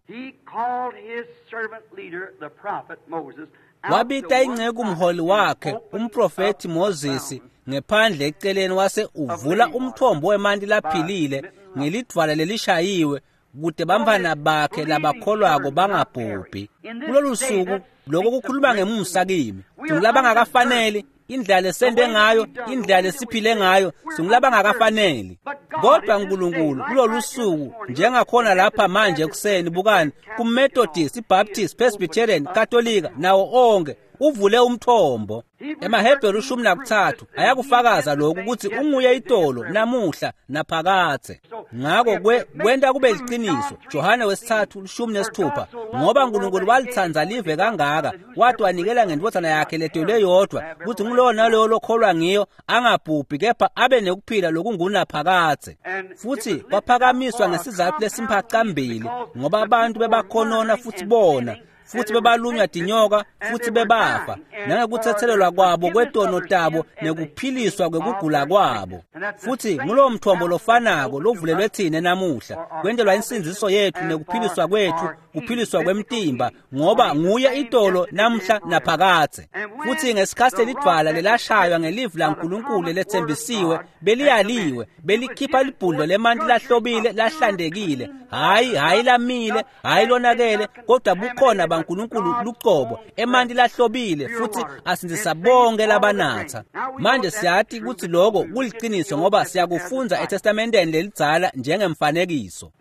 S1: Wabita inceku umholi wakhe, umprofethi Moses, ngephandle eceleni wase uvula umthombo wemanti laphilile ngelidvwala lelishayiwe kute bantfwana bakhe labakholwako bangabhubhi. Kulolu suku lokho kukhuluma ngemusa kimi, singulabangakafaneli, indlela lesente ngayo, indlela lesiphile ngayo, singulabangakafaneli. Kodwa uNkulunkulu kulolu suku njengakhona lapha manje ekuseni, bukani kuMethodist, iBaptist, Presbyterian, Katolika nawo onke uvule umthombo. EmaHebheru 13 ayakufakaza lokhu ukuthi unguye itolo namuhla naphakadze. Ngako kwenta kube liciniso. Johane 3:16, ngoba uNkulunkulu walitsandza live kangaka wathi wanikela ngendvodzana yakhe letelwe yodwa, kuthi ngulowo nalowo lokholwa ngiyo angabhubhi kepha abe nekuphila lokungunaphakadze. Futhi kwaphakamiswa ngesizatfu lesimphacambili, ngoba abantu bebakhonona futhi bona, futhi bebalunywa tinyoka futhi bebafa, nangekuthethelelwa kwabo kwetono tabo nekuphiliswa kwekugula kwabo. Futhi ngulowo mthombo lofanako lovulelwe thine namuhla, kwentelwa insindziso yethu nekuphiliswa kwethu, kuphiliswa kwemtimba, ngoba nguye itolo namhla naphakadze. Futhi ngesikhathi lelidvwala lelashaywa ngelivi laNkulunkulu leletsembisiwe, beliyaliwe, belikhipha libhudlo lemanti lahlobile lahlantekile, hhayi lamile, hhayi lonakele, kodwa bukhona baNkulunkulu lucobo, emanti lahlobile futhi asindzisa bonke labanatha. Manje siyati kutsi lokho kuliciniso ngoba siyakufundza eTestamenteni lelidzala njengemfanekiso.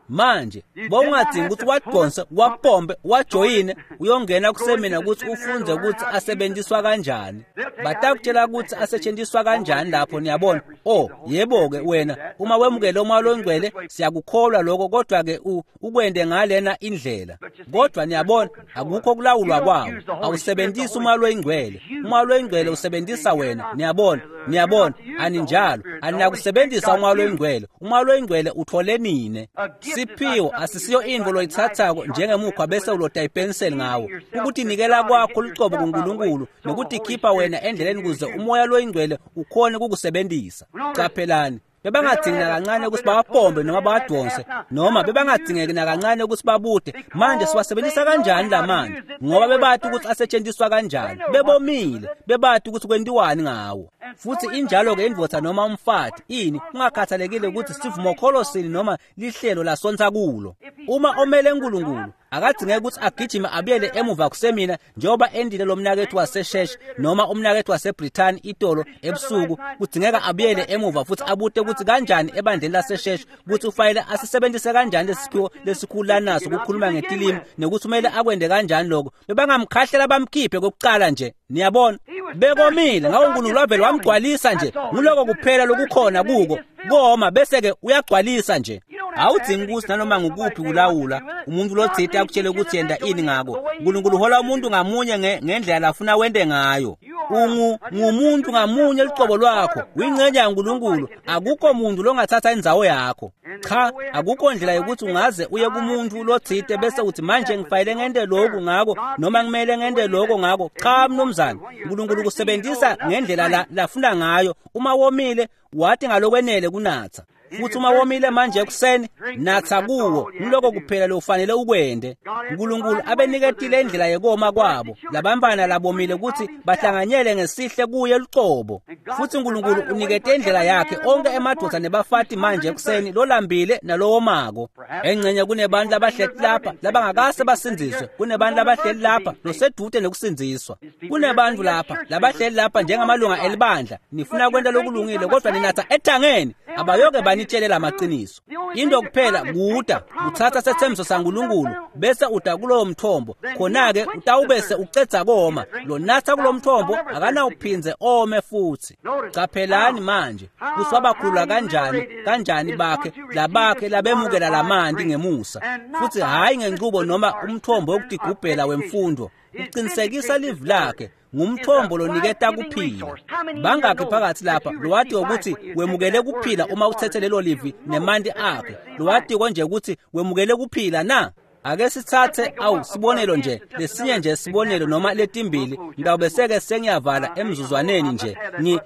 S1: Manje bowungadzingi ukuthi wadonse, wapompe, wajoyine, uyongena kusemina ukuthi ufundze ukuthi asebenziswa kanjani. Batakutshela ukuthi asetshenziswa kanjani lapho, niyabona. Oh, yebo-ke wena, uma wemukele umoya longcwele, siyakukholwa lokho, kodwa-ke ukwende ngalena indlela. Kodwa niyabona, Niyabona, akukho kulawulwa kwawo. Awusebenzisi umoya loyingcwele, umoya loyingcwele usebenzisa wena. Niyabona, niyabona, aninjalo, aninakusebenzisa umoya loyingcwele. Umoya loyingcwele uthole nine. Siphiwo asisiyo intfo loyitsatsako njengemukhwa bese uloda ipenseli ngawo. Ukutinikela kwakho lucobo kuNkulunkulu nokutikhipha wena endleleni kuze umoya loyingcwele ukhone kukusebenzisa. Qaphelani, bebangadzingi nakancane ukuthi bawapombe noma bawadonse, noma bebangadingeki nakancane ukuthi babude manje siwasebenzisa kanjani lamanzi, ngoba bebati ukuthi asetshenziswa kanjani. Bebomile, bebati ukuthi kwentiwani ngawo. Futhi injalo-ke indvodza noma umfati, ini kungakhathalekile ukuthi sivumokholo sini noma lihlelo lasonsa kulo. Uma omele uNkulunkulu akadzingeki ukuthi agijime abuyele emuva kusemina njengoba endile lo mnakethu wasesheshe noma umnakethu waseBrithani itolo ebusuku. Kudzingeka abuyele emuva futhi abute ukuthi kanjani ebandleni lasesheshe ukuthi ufanele asisebenzise kanjani lesiphiwo lesikhulu lanaso ukukhuluma ngetilimi nokuthi kumele akwende kanjani lokho. Bebangamkhahlela bamkhiphe kokuqala nje. Niyabona, bekomile ngako uNkulunkulu wavele wamgcwalisa nje. Nguloko kuphela lokukhona kuko, koma bese-ke uyagcwalisa nje. Awudzingi ukuthi nanoma ngukuphi kulawula umuntu lotsite akutshele ukuthi yenda ini ngako. uNkulunkulu uhola umuntu ngamunye ngendlela lafuna wente ngayo. Ungumuntu ngamunye lucobo lwakho, uyingcenye yaNkulunkulu. Akukho muntu longathatha indzawo yakho. Cha, akukho ndlela yokuthi ungaze uye kumuntu lotsite bese uthi manje ngifanele ngente lokhu ngako noma ngimele ngente lokho ngako. Cha mnumzane, uNkulunkulu kusebenzisa ngendlela lafuna ngayo. Uma womile wathi ngalokwenele kunatsa. Futhi uma womile manje ekuseni, natsa kuwo. Ngiloko kuphela lokufanele ukwende. uNkulunkulu abeniketile indlela yekoma kwabo labantwana labomile ukuthi bahlanganyele ngesihle kuye lucobo. Futhi uNkulunkulu unikete indlela yakhe onke emadvodza nebafati manje ekuseni, lolambile nalowomako. Engcenye kunebantu labahleli lapha labangakase basindziswe, kunebantu labahleli lapha losedude nekusindziswa, kunebantu lapha labahleli lapha njengamalunga elibandla. Nifuna kwenta lokulungile kodwa ninatsa ethangeni. Abayoke banitshele lamaqiniso. Into kuphela kuda uthatha sethembiso saNkulunkulu bese uda kulowo mthombo, khona-ke utawubese ucedza koma. Lonatha kulo mthombo akanawuphindze ome futhi. Caphelani manje kuthi wabakhulula kanjani bakhe labakhe labemukela lamanti ngemusa, futhi hhayi ngenchubo noma umthombo wokutigubhela wemfundo. Uqinisekisa livi lakhe ngumthombo loniketa kuphila. Bangakhi phakathi lapha lowati ukuthi wemukele kuphila uma uthethe lelo livi nemanti akhe? Lowatiko nje ukuthi wemukele kuphila na? Ake sithathe sibonelo nje, lesinye nje sibonelo noma letimbili, ngitawubeseke sengiyavala emzuzwaneni nje.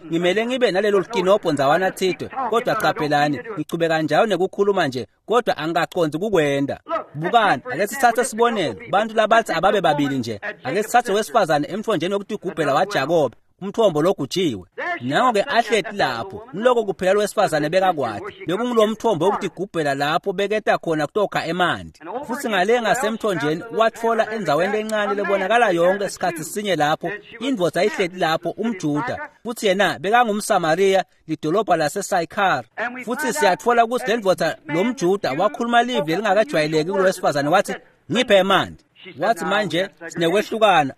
S1: Ngimele ngibe nalelo likinobho ndzawana thidwe, kodwa qaphelani, ngichubeka njalo nekukhuluma nje, kodwa angikaqondzi kukwenda. Bukani, ake sithathe sibonelo, bantu labathi ababe babili nje. Ake sithathe wesifazane emthonjeni wokutigubhela waJakobe, umthombo logujiwe. Nango-ke ahleti lapho, ngiloko kuphela lowesifazane bekakwati, bekungulo mthombo wokutigubhela lapho beketa khona kutokha emanti. Futhi ngale ngasemthonjeni watfola endzaweni lencane lebonakala yonke sikhatsi sinye lapho indvodza ihleti lapho, umJuda, futhi yena bekangumSamariya, lidolobha laseSayikhar. Futhi siyatfola ukuthi le ndvodza lo mJuda wakhuluma livi lelingakajwayeleki kulowesifazane, wathi ngiphe emanti. Wathi manje sinekwehlukana,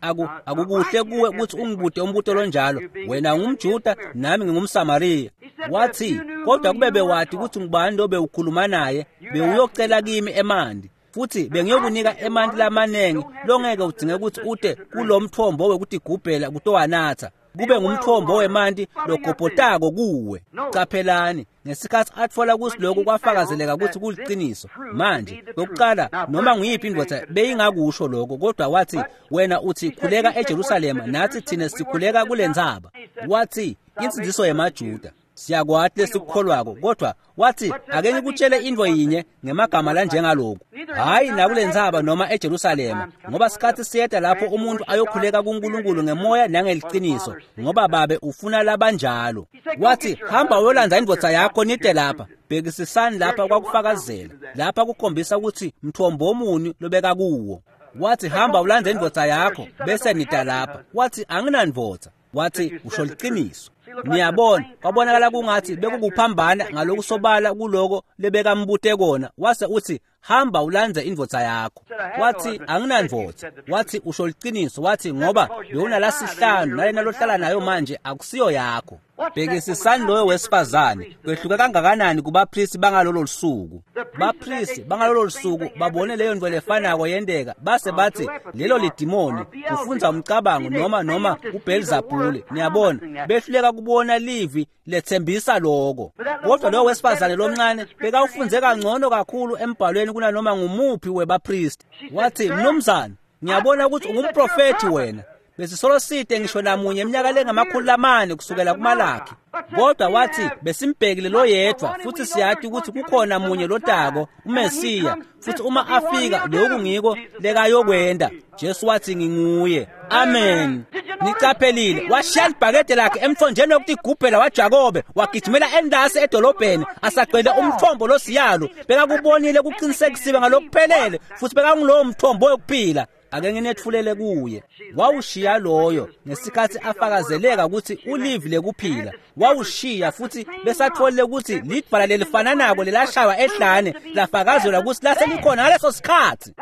S1: akukuhle kuwe ukuthi ungibude umbuto lonjalo, wena ungumJuda nami ngingumSamariya. Wathi kodwa kube bewati ukuthi ngubani lo bewukhuluma naye, bewuyocela kimi emanti, futhi bengiyokunika emanti lamanengi longeke udzinge ukuthi ute kulo mthombo wekutigubhela kutowanatha, kube ngumthombo wemanti logobhotako kuwe. Caphelani, ngesikhathi atfola ukuthi lokhu kwafakazeleka ukuthi kuliciniso. Manje lokuqala noma nguyiphi indvodza beyingakusho lokho, kodwa wathi wena uthi khuleka eJerusalema, nathi thina sikhuleka kule ntsaba. Wathi insindziso yemaJuda siyakwati lesikukholwako, kodwa wathi ake ngikutshele into yinye ngemagama lanjengaloku, hhayi nakule ntsaba noma eJerusalema, ngoba sikhathi siyeta lapho umuntu ayokhuleka kuNkulunkulu ngemoya nangeliciniso, ngoba babe ufuna labanjalo. Wathi hamba uyolandza indvodza yakho nite lapha. Bhekisisani lapha kwakufakazela, lapha kukhombisa ukuthi mthombo omuni lobeka kuwo. Wathi hamba ulandze indvodza yakho bese nita lapha. Wathi anginandvodza. Wathi usho liciniso. Niyabona, kwabonakala kungathi bekukuphambana ngalokusobala kuloko lebekambute kona. Wase uthi hamba ulandze indvodza yakho. Wathi anginandvodza. Wathi usho liciniso. Wathi ngoba bewunalasihlanu nalena lohlala nayo manje akusiyo yakho. Bhekisisani loyo wesifazane, kwehluka kangakanani kubapristi bangalolo lusuku. Bapristi bangalolo lusuku babone leyo nto lefanako yenteka, base bathi lelo lidimoni, kufundza umcabango noma uBelzebule. Niyabona, behluleka kubona livi lethembisa lokho. Kodwa loyo wesifazane lomncane bekawufundze kangcono kakhulu embhalweni kunanoma ngumuphi webapristi. Wathi, "Mnumzane, ngiyabona ukuthi ungumprofethi wena. Besisolo side ngisho namunye eminyaka lengama-400 kusukela kuMalakhi. Kodwa wathi besimbhekile lo yedwa, futhi siyati ukuthi kukhona munye lotako, uMesiya, futhi uma afika lokhu ngiko lekayokwenda." Jesu wathi, "Nginguye." Amen. Niqaphelile, washiya libhakede lakhe emthonjeni wokutigubhela waJakobe, wagijimela endasi edolobheni asagcwele umthombo losiyalo. Bekakubonile kuqinisekisiwe ngalokuphelele, futhi bekangulowo mthombo wokuphila. Ake nginethulele kuye. Wawushiya loyo ngesikhathi afakazeleka ukuthi ulivi lekuphila. Wawushiya futhi besatholile ukuthi lidwala lelifananako lelashaywa ehlane lafakazelwa ukuthi laselikhona ngaleso sikhathi.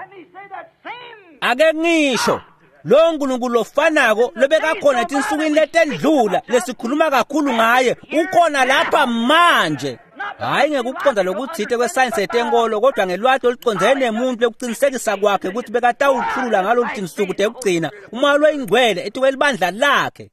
S1: Ake ngisho lo nkulunkulu lofanako lobekakhona etinsukwini letendlula lesikhuluma kakhulu ngaye ukhona lapha manje. Hhayi ngekuqonda lokuthite kwesayensi yetenkolo, kodwa ngelwati olucondzene nemuntu lekuqinisekisa kwakhe ukuthi bekatawuthulula ngalolu tinsuku tekugcina umoya loyingcwele etikwelibandla lakhe.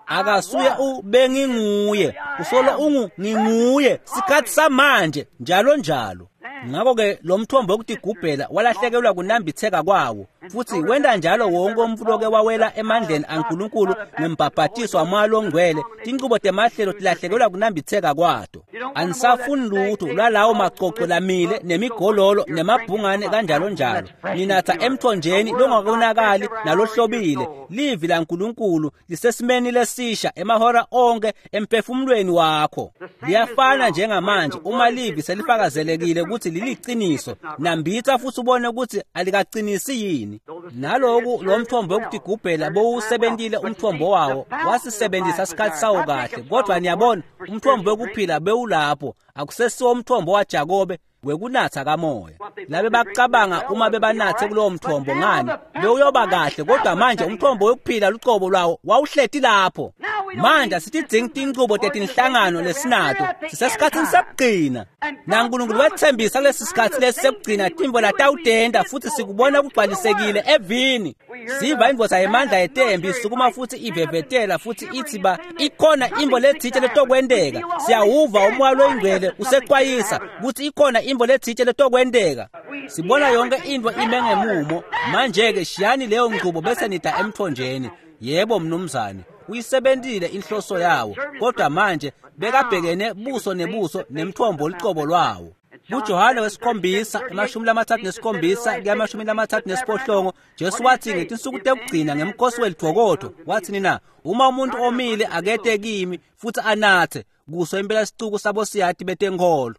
S1: Akasuye ubenginguye, usolo ungu nginguye sikhathi samanje njalo njalo. Ngakho-ke lo mthombo wokutigubhela walahlekelwa kunambitheka kwawo, futhi wenda njalo wonke umuntu loke wawela emandleni aNkulunkulu ngembhabhatiso wamoya longcwele. Tinqubo temahlelo tilahlekelwa kunambitheka kwato. Anisafuni lutho lwalawo macoco lamile nemigololo nemabhungane kanjalo njalo. Ninatha emthonjeni longakonakali nalohlobile. Livi laNkulunkulu lisesimeni lesisha emahora onke emphefumulweni wakho. Liyafana njengamanje uma livi selifakazelekile ukuthi liliqiniso. Nambitha futhi ubone ukuthi alikaqinisi yini. Naloku lo mthombo wokutigubhela bowusebentile umthombo wawo, wasisebenzisa isikhathi sawo kahle. Kodwa niyabona, umthombo wokuphila bewulapho, akusesiwo umthombo waJakobe wekunatha kamoya. Labe bacabanga uma bebanathe kulowo mthombo ngani bewuyoba kahle, kodwa manje umthombo wokuphila lucobo lwawo wawuhleti lapho. Manje asitidzingi tinchubo tetinhlangano lesinato, sisesikhatsini sekugcina. NaNkulunkulu wethembisa kulesi sikhathi lesi sekugcina tintfo latawutenta, futhi sikubona kugcwalisekile evini. Siva indvodza yemandla yetembi isukuma futhi ivevetela futhi ithi ba ikhona intfo letsite letokwenteka. Siyawuva umoya loyingcwele usexwayisa ukuthi ikhona intfo letsite letokwenteka. Sibona yonke intfo ime ngemumo. Manje-ke shiyani leyo nchubo bese nida emthonjeni. Yebo mnumzane, uyisebentile inhloso yawo, kodwa manje bekabhekene buso nebuso nemthombo lucobo lwawo. KuJohane wesikhombisa 37 kuya 38, Jesu wathi ngetinsuku tekugcina ngemkhosi welidvokodvo, wathi nina, uma umuntu omile akete kimi futhi anathe, kuso impela sicuku sabosiyati betenkholo.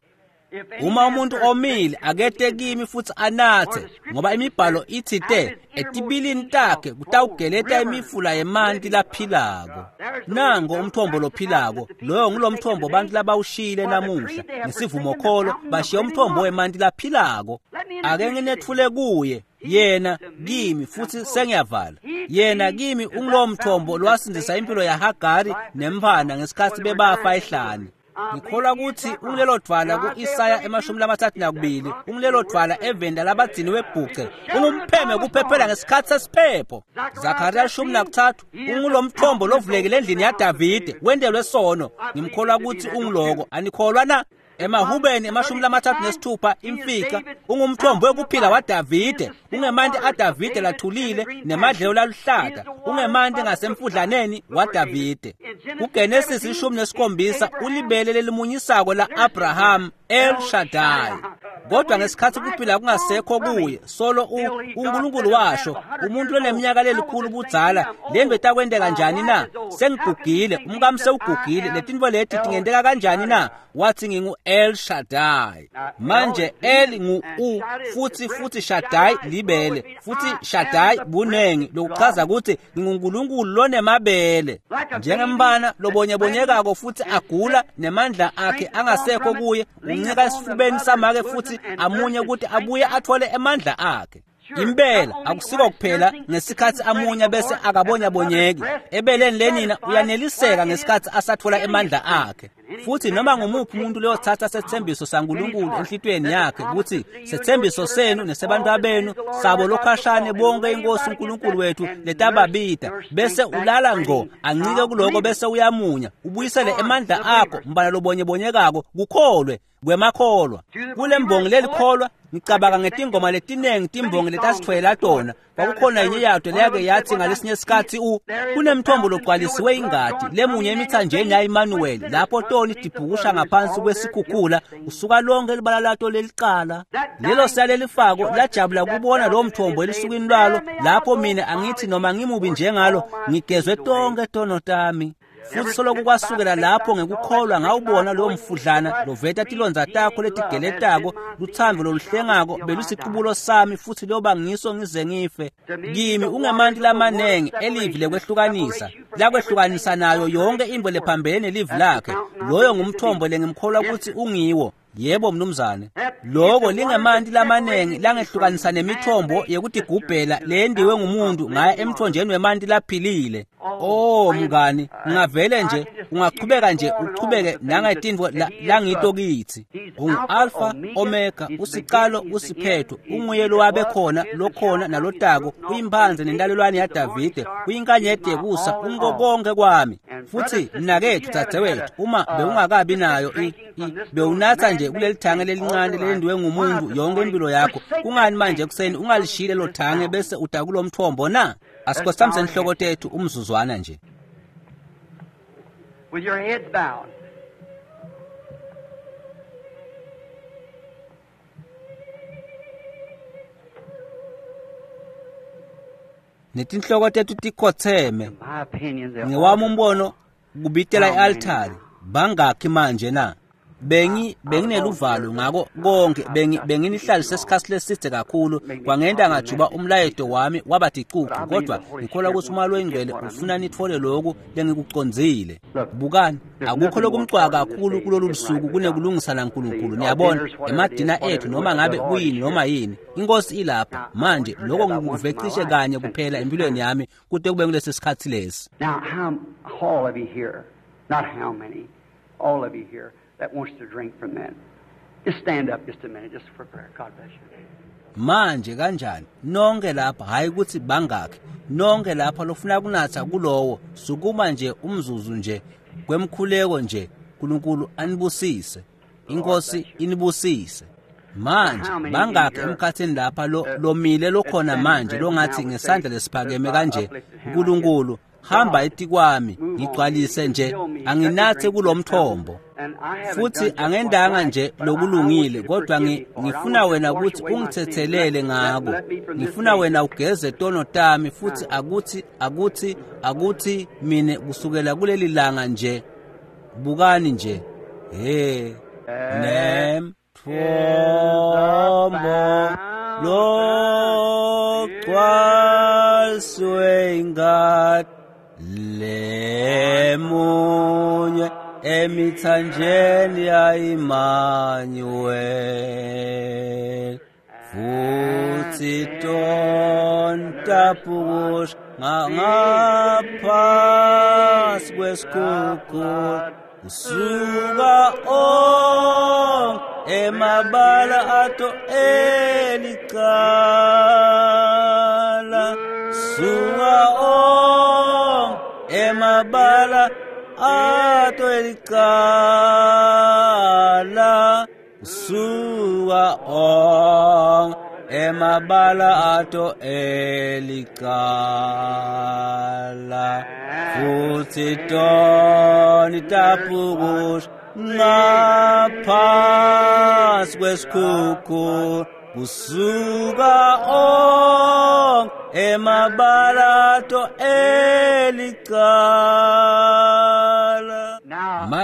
S1: Uma umuntu omile akete kimi futhi anathe, ngoba imibhalo ithi te etibilini takhe kutawugeleta imifula yemanti laphilako. Nango umthombo lophilako, loyo ngulomthombo bantu labawushiyile namuhla ngesivumokholo, bashiya umthombo wemanti laphilako. Ake nginethule kuye, yena kimi, futhi sengiyavala. Yena kimi ungulowo mthombo lowasindzisa impilo yaHagari nemfana ngesikhathi bebafa ehlane. Ngikholwa ukuthi ungilelo dvwala ku-Isaya 32, ungilelo dvwala eveni labagciniwe bhuce, ungumpheme kuphephela ngesikhathi sesiphepho. Zakariya 13, ungulomthombo lovulekile endlini yaDavide, wentelwe sono. Ngimkholwa ukuthi ungiloko, anikholwa na? Emahubeni 36 imfica, ungumthombo wekuphila waDavide, ungemanti aDavide lathulile nemadlelo laluhlata, ungemanti ngasemfudlaneni waDavide. KuGenesis 17 ulibele lelimunyisako la-Abraham, El Shaddai. Kodwa ngesikhathi kuphila kungasekho kuye, solo uNkulunkulu washo, umuntu loneminyaka lelikhulu budzala, lento itakwenteka njani na? Sengigugile, umkami sewugugile, letintfo leti tingenteka kanjani na? Wathi ngingu El Shaddai. Manje El ngu U, futhi Shaddai libele, futhi Shaddai bunengi, lokuchaza ukuthi nginguNkulunkulu lonemabele. Njengembana lobonyebonyekako futhi agula nemandla akhe angasekho kuye, uncika esifubeni samake futhi amunye ukuthi abuye athole emandla akhe. Impela akusiko kuphela ngesikhatsi amunya bese akabonyabonyeki. Ebeleni lenina uyaneliseka ngesikhatsi asatfola emandla akhe. Futhi noma ngumuphi umuntu loyotsatsa setsembiso saNkulunkulu enhlitiyweni yakhe kutsi setsembiso senu nesebantfwabenu sabo lokhashane bonke inkosi uNkulunkulu wethu letababita, bese ulala ngco ancike kuloko bese uyamunya, ubuyisele emandla akho mbala lobonyebonyekako kukholwe kwemakholwa. Kule mbongi lelikholwa ngicabanga ngetingoma letinengi timbongi letasitfwela tona. Kwakukhona yenye yato leyake yathi ngalesinye sikhatsi kunemthombo logcwalisiwe ingati lemunye emithanjeni ya-Emmanuel lapho toni tibhukusha ngaphansi kwesikhukhula usuka lonke libala lato lelicala. Lelo sale lelifako lajabula kubona lowo mthombo elusukwini lwalo lapho mina angithi noma ngimubi njengalo ngigezwe tonke tono tami. Futhi soloku kwasukela lapho ngekukholwa ngawubona lowo mfudlana loveta tilondza takho letigeletako, lutsandvo loluhlengako belusiqubulo sami futhi loba ngiso ngize ngife. Kimi ungemanti lamanengi elivi lekwehlukanisa, lakwehlukanisa nayo yonke intfo lephambene nelivi lakhe. Loyo ngumthombo lengimkholwa kutsi ungiwo. Yebo mnumzane. Loko lingemanti lamanengi langehlukanisa nemithombo yekutigubhela leyendiwe ngumuntu ngaya emthonjeni wemanti laphilile. Oh mngani, ungavele nje ungachubeka nje uchubeke nangetintfo langito kitsi. Ungu-Alpha Omega, usicalo usiphetho, unguye lowabe khona lokhona nalotako, uyimphandze nentalelwane yaDavide, uyinkanyeti yekusa, ungo konke kwami. Futhi mnaketfu dzadzewetfu, uma bewungakabi nayo bewunatsa nje kuleli thange lelincane lelendiwe ngumuntu yonke impilo yakho, kungani manje ekuseni ungalishiyi lelo thange bese uda kulo mthombo na? Asikhothamise inhloko tethu umzuzwana nje.
S2: With your heads bowed.
S1: Netinhloko tethu tikhotheme. Ngewami umbono kubitela i-altari. Bangakhi manje na? Bengineluvalo ngako konke, benginihlalise isikhatsi leside kakhulu, kwangenta ngajuba umlayeto wami waba ticucu, kodwa ngikholwa kutsi uMoya loyiNgcwele ufuna nitfole loku lengikucondzile. Bukani, akukho lokumcwaka kakhulu kulolu lusuku kunekulungisa naNkulunkulu. Niyabona, emadina ethu noma ngabe kuyini noma yini, inkosi ilapha manje. Lokho ngikuve cishe kanye kuphela empilweni yami kute kube kulesi sikhatsi lesi.
S2: Now, how all of you here, not how many, all of you here that wants to drink from that. Just stand up just a minute, just for prayer. God bless you.
S1: Manje kanjani nonke lapha, hayi ukuthi bangakhi, nonke lapha lofuna kunatha kulowo, sukuma nje umzuzu nje kwemkhuleko nje. uNkulunkulu anibusise, inkosi inibusise. Manje bangakhi emkhathini lapha lomile lokhona manje longathi ngesandla lesiphakeme kanje, uNkulunkulu hamba etikwami ngigcwalise nje, anginathe kulomthombo. Futhi angendanga nje lokulungile, kodwa ngifuna wena ukuthi ungithethelele ngako. Ngifuna wena ugeze tono tami, futhi akuthi mine kusukela kuleli langa nje. Bukani nje, he nemthombo logcwaliswe ingati lemunye emithanjeni ya-Emmanuel, futhi tontapukusha ngaphansi kwesikhukhula kusuka onke emabala ato elicala, suka onke emabala ato elicala, suka onke emabala ato elicala, futhi toni tapukusha ngaphansi kwesikhukhula kusuka onke emabala ato elicala.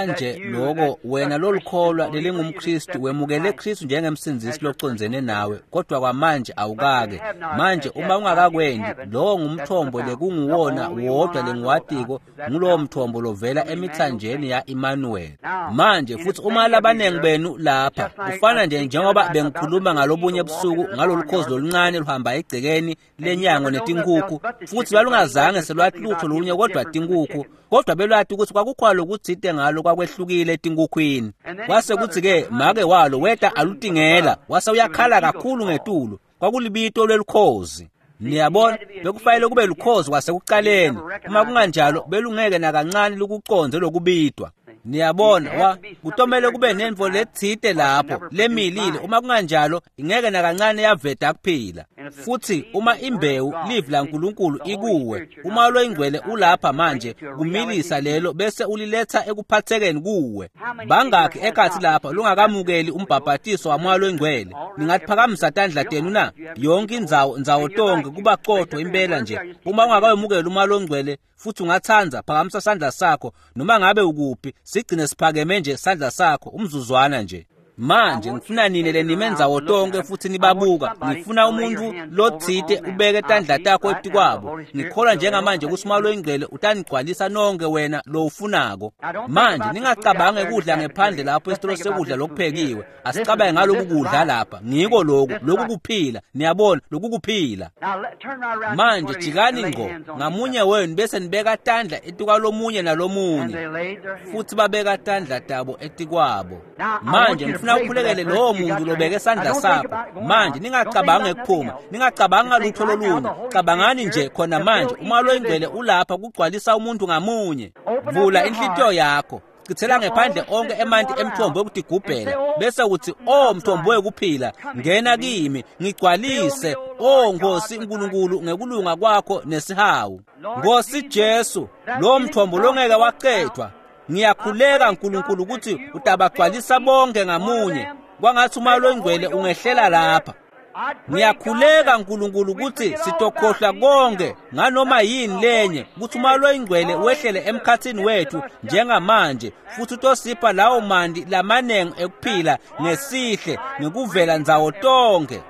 S1: Manje lokho wena lolukholwa lelingumKristu wemukele Kristu njengemsindzisi locondzene nawe, kodwa kwamanje awukake. Manje uma ungakakwendi, lowo ngumthombo lekunguwona wodwa lengiwatiko, ngulowo mthombo lovela emithanjeni ya-Emmanuel. Manje futhi uma labanengi benu lapha, kufana nje njengoba bengikhuluma ngalobunye busuku ngalolu khozi loluncane luhamba egcekeni lenyango netinkukhu, futhi lwalungazange selwathi lutho lunye kodwa tinkukhu, kodwa belwathi ukuthi kwakukhona lokutsite ngalo kwakwehlukile etinkukhwini. Kwase kuthi-ke make walo weta alutingela, wase uyakhala kakhulu ngetulu, kwakulibito lwelukhozi. Niyabona, bekufanele kube lukhozi kwasekuqaleni, uma kunganjalo belungeke nakancane lukuconze lokubidwa. Niyabona, kutomele kube nentfo letsite lapho lemilile, uma kunganjalo ingeke nakancane yaveta kuphila. Futhi uma imbewu livi laNkulunkulu ikuwe, uma loyingcwele ulapha manje kumilisa lelo bese uliletha ekuphathekeni kuwe. Bangakhi ekhathi lapha lungakamukeli umbhabhatiso wamoya loyingcwele? Ningatiphakamisa tandla tenu na? Yonke indzawo ndzawo tonke kuba qotho impela nje. Uma ungakawemukeli umoya longcwele futhi ungatsandza, phakamisa sandla sakho noma ngabe ukuphi, sigcine siphakeme nje sandla sakho umzuzwana nje. Manje ngifuna nine lenime ndzawo tonke futhi nibabuka. Ngifuna umuntu lotsite ubeke tandla takho etikwabo. Ngikholwa njengamanje ukuthi umoya loyingcwele utanigcwalisa nonke wena lowufunako. Manje ningacabangi kudla ngephandle lapho esitolo sekudla lokuphekiwe. Asicabange ngaloku kudla lapha. Ngiko lokhu, lokhu kuphila. Niyabona, lokhu kuphila. Manje jikani ngqo ngamunye wenu bese nibeka tandla etikwalomunye nalomunye, futhi babeka tandla tabo etikwabo. Manje ngifuna ukhulekele lowo muntu lobeke isandla sakho. Manje ningacabangi ekuphuma, ningacabangi ngalutho lolunye, cabangani nje khona manje uma loyingcwele ulapha kugcwalisa umuntu ngamunye. Vula inhlitiyo yakho, chithela ngephandle onke emanti emthombo wekutigubhela, bese uthi, "O mthombo wekuphila, ngena kimi, ngigcwalise, o Nkosi uNkulunkulu, ngekulunga kwakho nesihawu." Nkosi Jesu, lo mthombo longeke waqedwa, ngiyakhuleka nkulunkulu ukuthi utabagcwalisa bonke ngamunye. Kwangathi umoya loyingcwele ungehlela lapha. Ngiyakhuleka nkulunkulu ukuthi sitokhohlwa konke nganoma yini lenye, ukuthi umoya loyingcwele wehlele emkhathini wethu njengamanje, futhi utosipha lawo mandi lamanengi ekuphila ngesihle ngekuvela ndzawo tonke.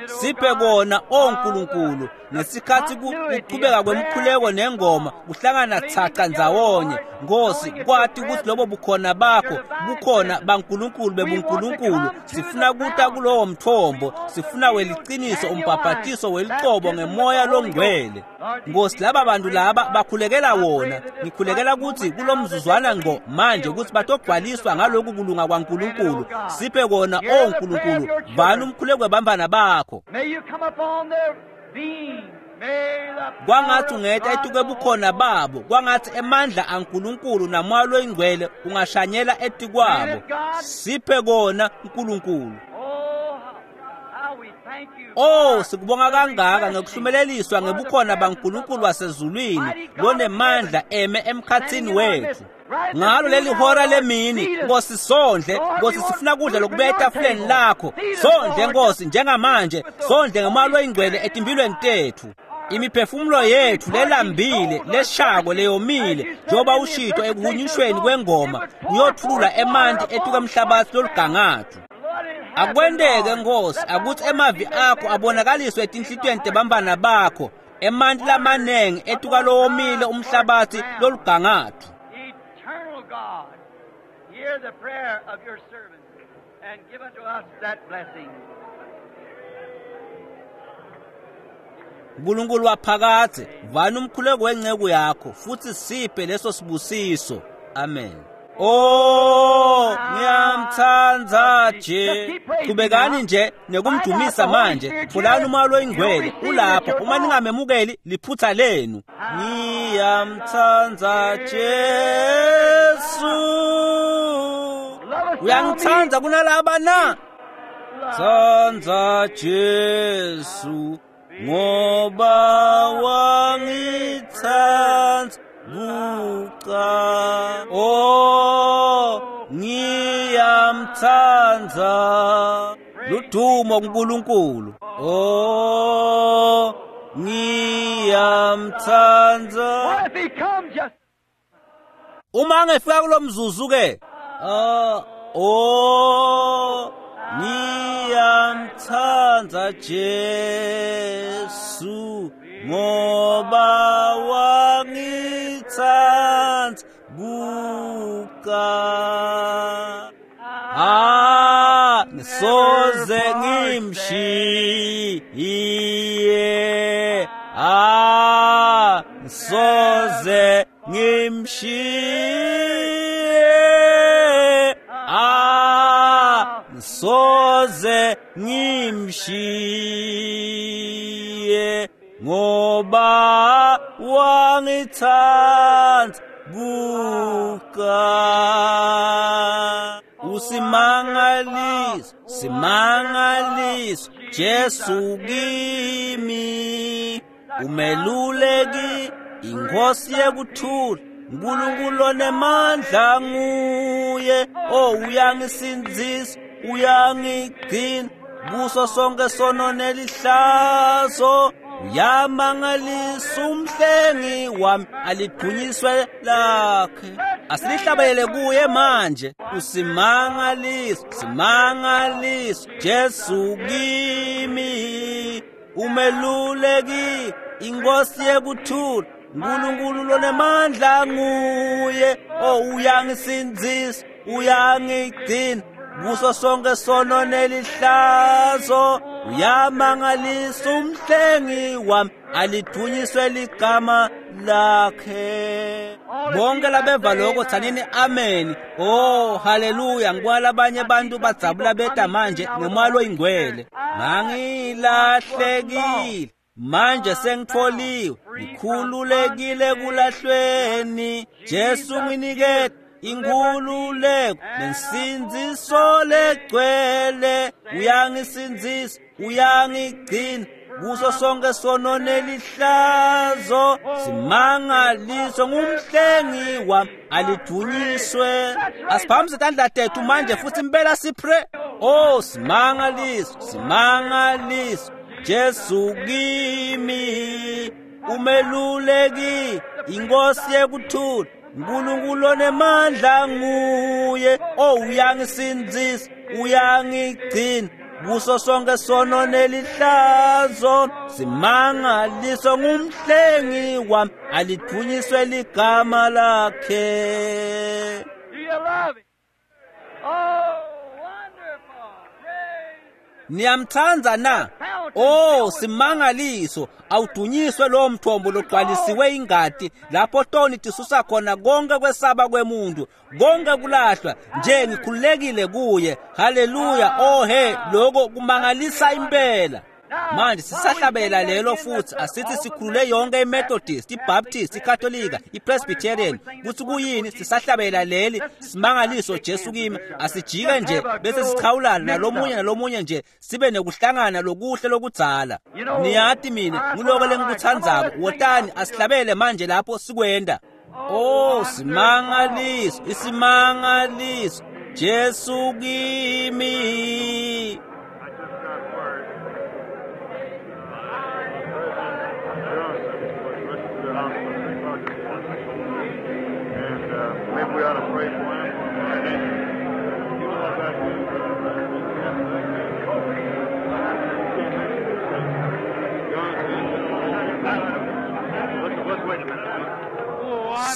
S1: Siphe kona, o nkulunkulu, ngesikhathi kuqhubeka kwemkhuleko nengoma kuhlangana thaca ndzawonye. Nkosi, kwati ukuthi lobo bukhona bakho bukhona baNkulunkulu bebuNkulunkulu. Sifuna kuta kulowo mthombo, sifuna weliciniso umbhabhatiso welicobo ngemoya longcwele. Nkosi, laba bantu laba bakhulekela wona. Ngikhulekela ukuthi kulomzuzwana ngqo manje ukuthi batogcwaliswa ngaloku kulunga kwaNkulunkulu. Siphe kona, o nkulunkulu, vani umkhuleko webambana bakho. Kwangathi ungeta etuke bukhona babo, kwangathi emandla aNkulunkulu namoya loyingcwele ungashanyela etikwabo. Siphe kona nkulunkulu. Oh, sikubonga kangaka ngekuhlumeleliswa ngebukhona baNkulunkulu wasezulwini lonemandla eme emkhathini wethu. Ngalo leli hora lemini, Nkosi, sondle. Nkosi, sifuna kudla lokubuya etafuleni lakho. Sondle Nkosi njengamanje, sondle ngemoya loyingcwele etimphilweni tethu. Imiphefumulo yethu lelambile, leshako, leyomile, njengoba ushito ekuhunyushweni kwengoma, kuyothulula emanti etuka emhlabathi lolugangathu. Akwenteke Nkosi, akuthi emavi akho abonakaliswe etinhlitiyweni tebambana bakho, emanti lamanengi etuka lowomile umhlabathi lolugangathu.
S2: Eternal God, hear the prayer of your servant and give unto us that blessing.
S1: Nkulunkulu waphakadze, vani umkhuleko wenceku yakho futhi siphe leso sibusiso. Amen. Oh, ngiyamthanda nje. Qhubekani nje nekumdumisa manje. Tholani umoya loyingcwele ulapha. Uma ningamemukeli, liphutha lenu. Ngiyamthanda Jesu. Uyangithanda kunalaba na? Tsandza Jesu ngoba wangithanda kuqala. Oh, ngiyamthanda. Ludumo kuNkulunkulu. Oh, ngiyamthanda.
S2: What if he comes just
S1: Uma ngifika kulomzuzu ke, oh ngiyamthanda Jesu ngoba wangithanda kuqala. Ngisoze ngimshiye, ngisoze ngimshiye, ngisoze ngimshiye ngoba wangithanda kuqala. Usimangaliso, simangaliso, Jesu kimi, umeluleki, inkosi yekuthula, uNkulunkulu onemandla nguye. Oh, uyangisindzisa, uyangigcina kuso sonke sono nelihlazo, uyamangalisa umhlengi wami, alidvunyiswe lakhe. Asilihlabelele kuye manje. Usimangaliso, simangaliso, Jesu kimi, umeluleki, inkosi yekuthula, uNkulunkulu lonemandla nguye. Oh, uyangisindzisa, uyangigcina kuso sonke sono nelihlazo, uyamangalisa umhlengi wami, alidvunyiswe ligama lakhe. Bonke labeva lokho tsanini amen. Oh, haleluya. Ngibona labanye abantu badzabula beta manje ngemoya loyingcwele. Ngangilahlekile, manje sengitholiwe, ngikhululekile kulahlweni. Jesu nginikete inkhululeko nensindziso legcwele, uyangisindzisa, uyangigcina kuso sonke sono nelihlazo, simangaliso ngumhlengi wami, alidvunyiswe. Asiphakamise tandla tethu manje futhi impela sipre. Oh, simangaliso, simangaliso, Jesu kimi, umeluleki, inkosi yekuthula, uNkulunkulu onemandla nguye. Oh, uyangisindzisa, uyangigcina kuso sonke sono nelihlazo, simangaliso ngumhlengi wami, alidvunyiswe ligama lakhe.
S2: Do you love him? Oh, wonderful. Praise.
S1: Niyamthanda na? Oh, simangaliso, awudunyiswe lowo mthombo logcwalisiwe ingati lapho toni tisusa khona konke kwesaba kwemuntu, konke kulahlwa nje ngikhululekile kuye. Haleluya. Oh he, lokho kumangalisa impela. Manje sisahlabela lelo futhi asithi sikhulule yonke iMethodist, iBaptist, iKatolika, iPresbyterian kuthi kuyini. Sisahlabela leli simangaliso Jesu kimi. Asijike nje bese sichawulana nalomunye nalomunye nje, sibe nekuhlangana lokuhle lokudzala. Niyati mina nguloko lengikuthandzako. Wotani asihlabele manje lapho sikwenda. Oh, simangaliso, isimangaliso Jesu kimi.
S3: I just got word. President Johnson was rushed to the hospital at 3 o'clock this morning. And maybe we ought to pray for him. You know what that means? Let's wait a minute.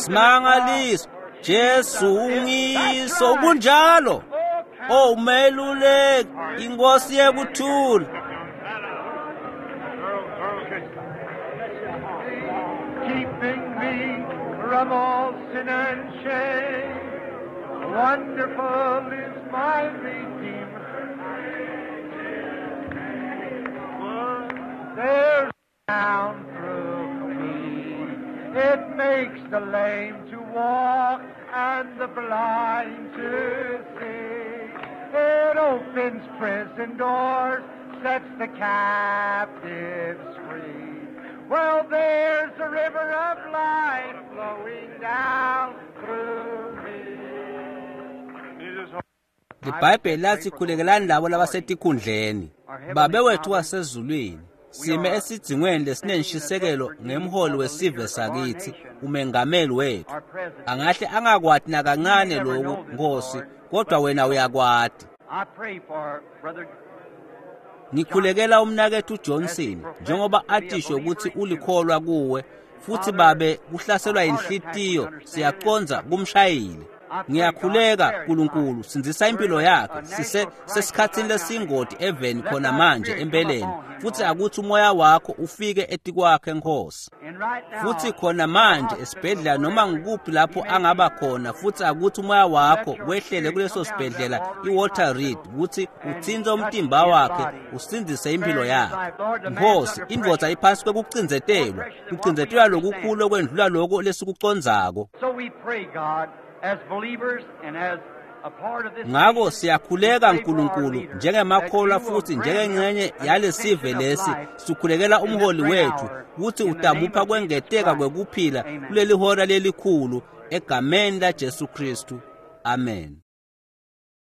S1: Simangaliso Jesu ungiso kunjalo. Oh, umeluleki, inkosi yekuthula.
S3: Earl, Earl Kitchen.
S4: Keeping me from all sin and shame. Wonderful is my Redeemer. There's down through me. It makes the lame to walk and the blind to see. It opens prison doors, sets the captives free. Well, there's a river of life flowing down through me.
S1: LiBhayibheli lathi khulekelani labo labasetikhundleni. Babe wethu wasezulwini, Sime esidzingweni lesinenshisekelo ngemholi wesive sakitsi, umengameli wetfu. Angahle angakwati nakancane loku, Nkosi, kodwa wena uyakwati. Ngikhulekela umnaketfu Johnson njengoba atisho kutsi ulikholwa kuwe, futsi babe kuhlaselwa inhlitiyo siyacondza kumshayile. Ngiyakhuleka Nkulunkulu, sindzisa impilo yakhe. Sise sesikhatsini lesingoti eveni khona manje empeleni, futsi akutsi umoya wakho ufike etikwakhe Nkosi. Futsi khona manje esibhedlela noma ngikuphi lapho angaba khona, futsi akutsi umoya wakho wehlele kuleso sibhedlela iWalter Reed kutsi utsintse umtimba wakhe usindzise impilo yakhe. Nkosi, indvodza iphasi kwekucindzetelwa, kucindzetelwa lokukhulu okwendlula loko lesikucondzako. Ngako siyakhuleka Nkulunkulu njengemakholwa futhi njengengxenye yalesive lesi, sikhulekela umholi wethu kutsi utamupha kwengeteka kwekuphila kuleli hora lelikhulu egameni laJesu Kristu. Amen.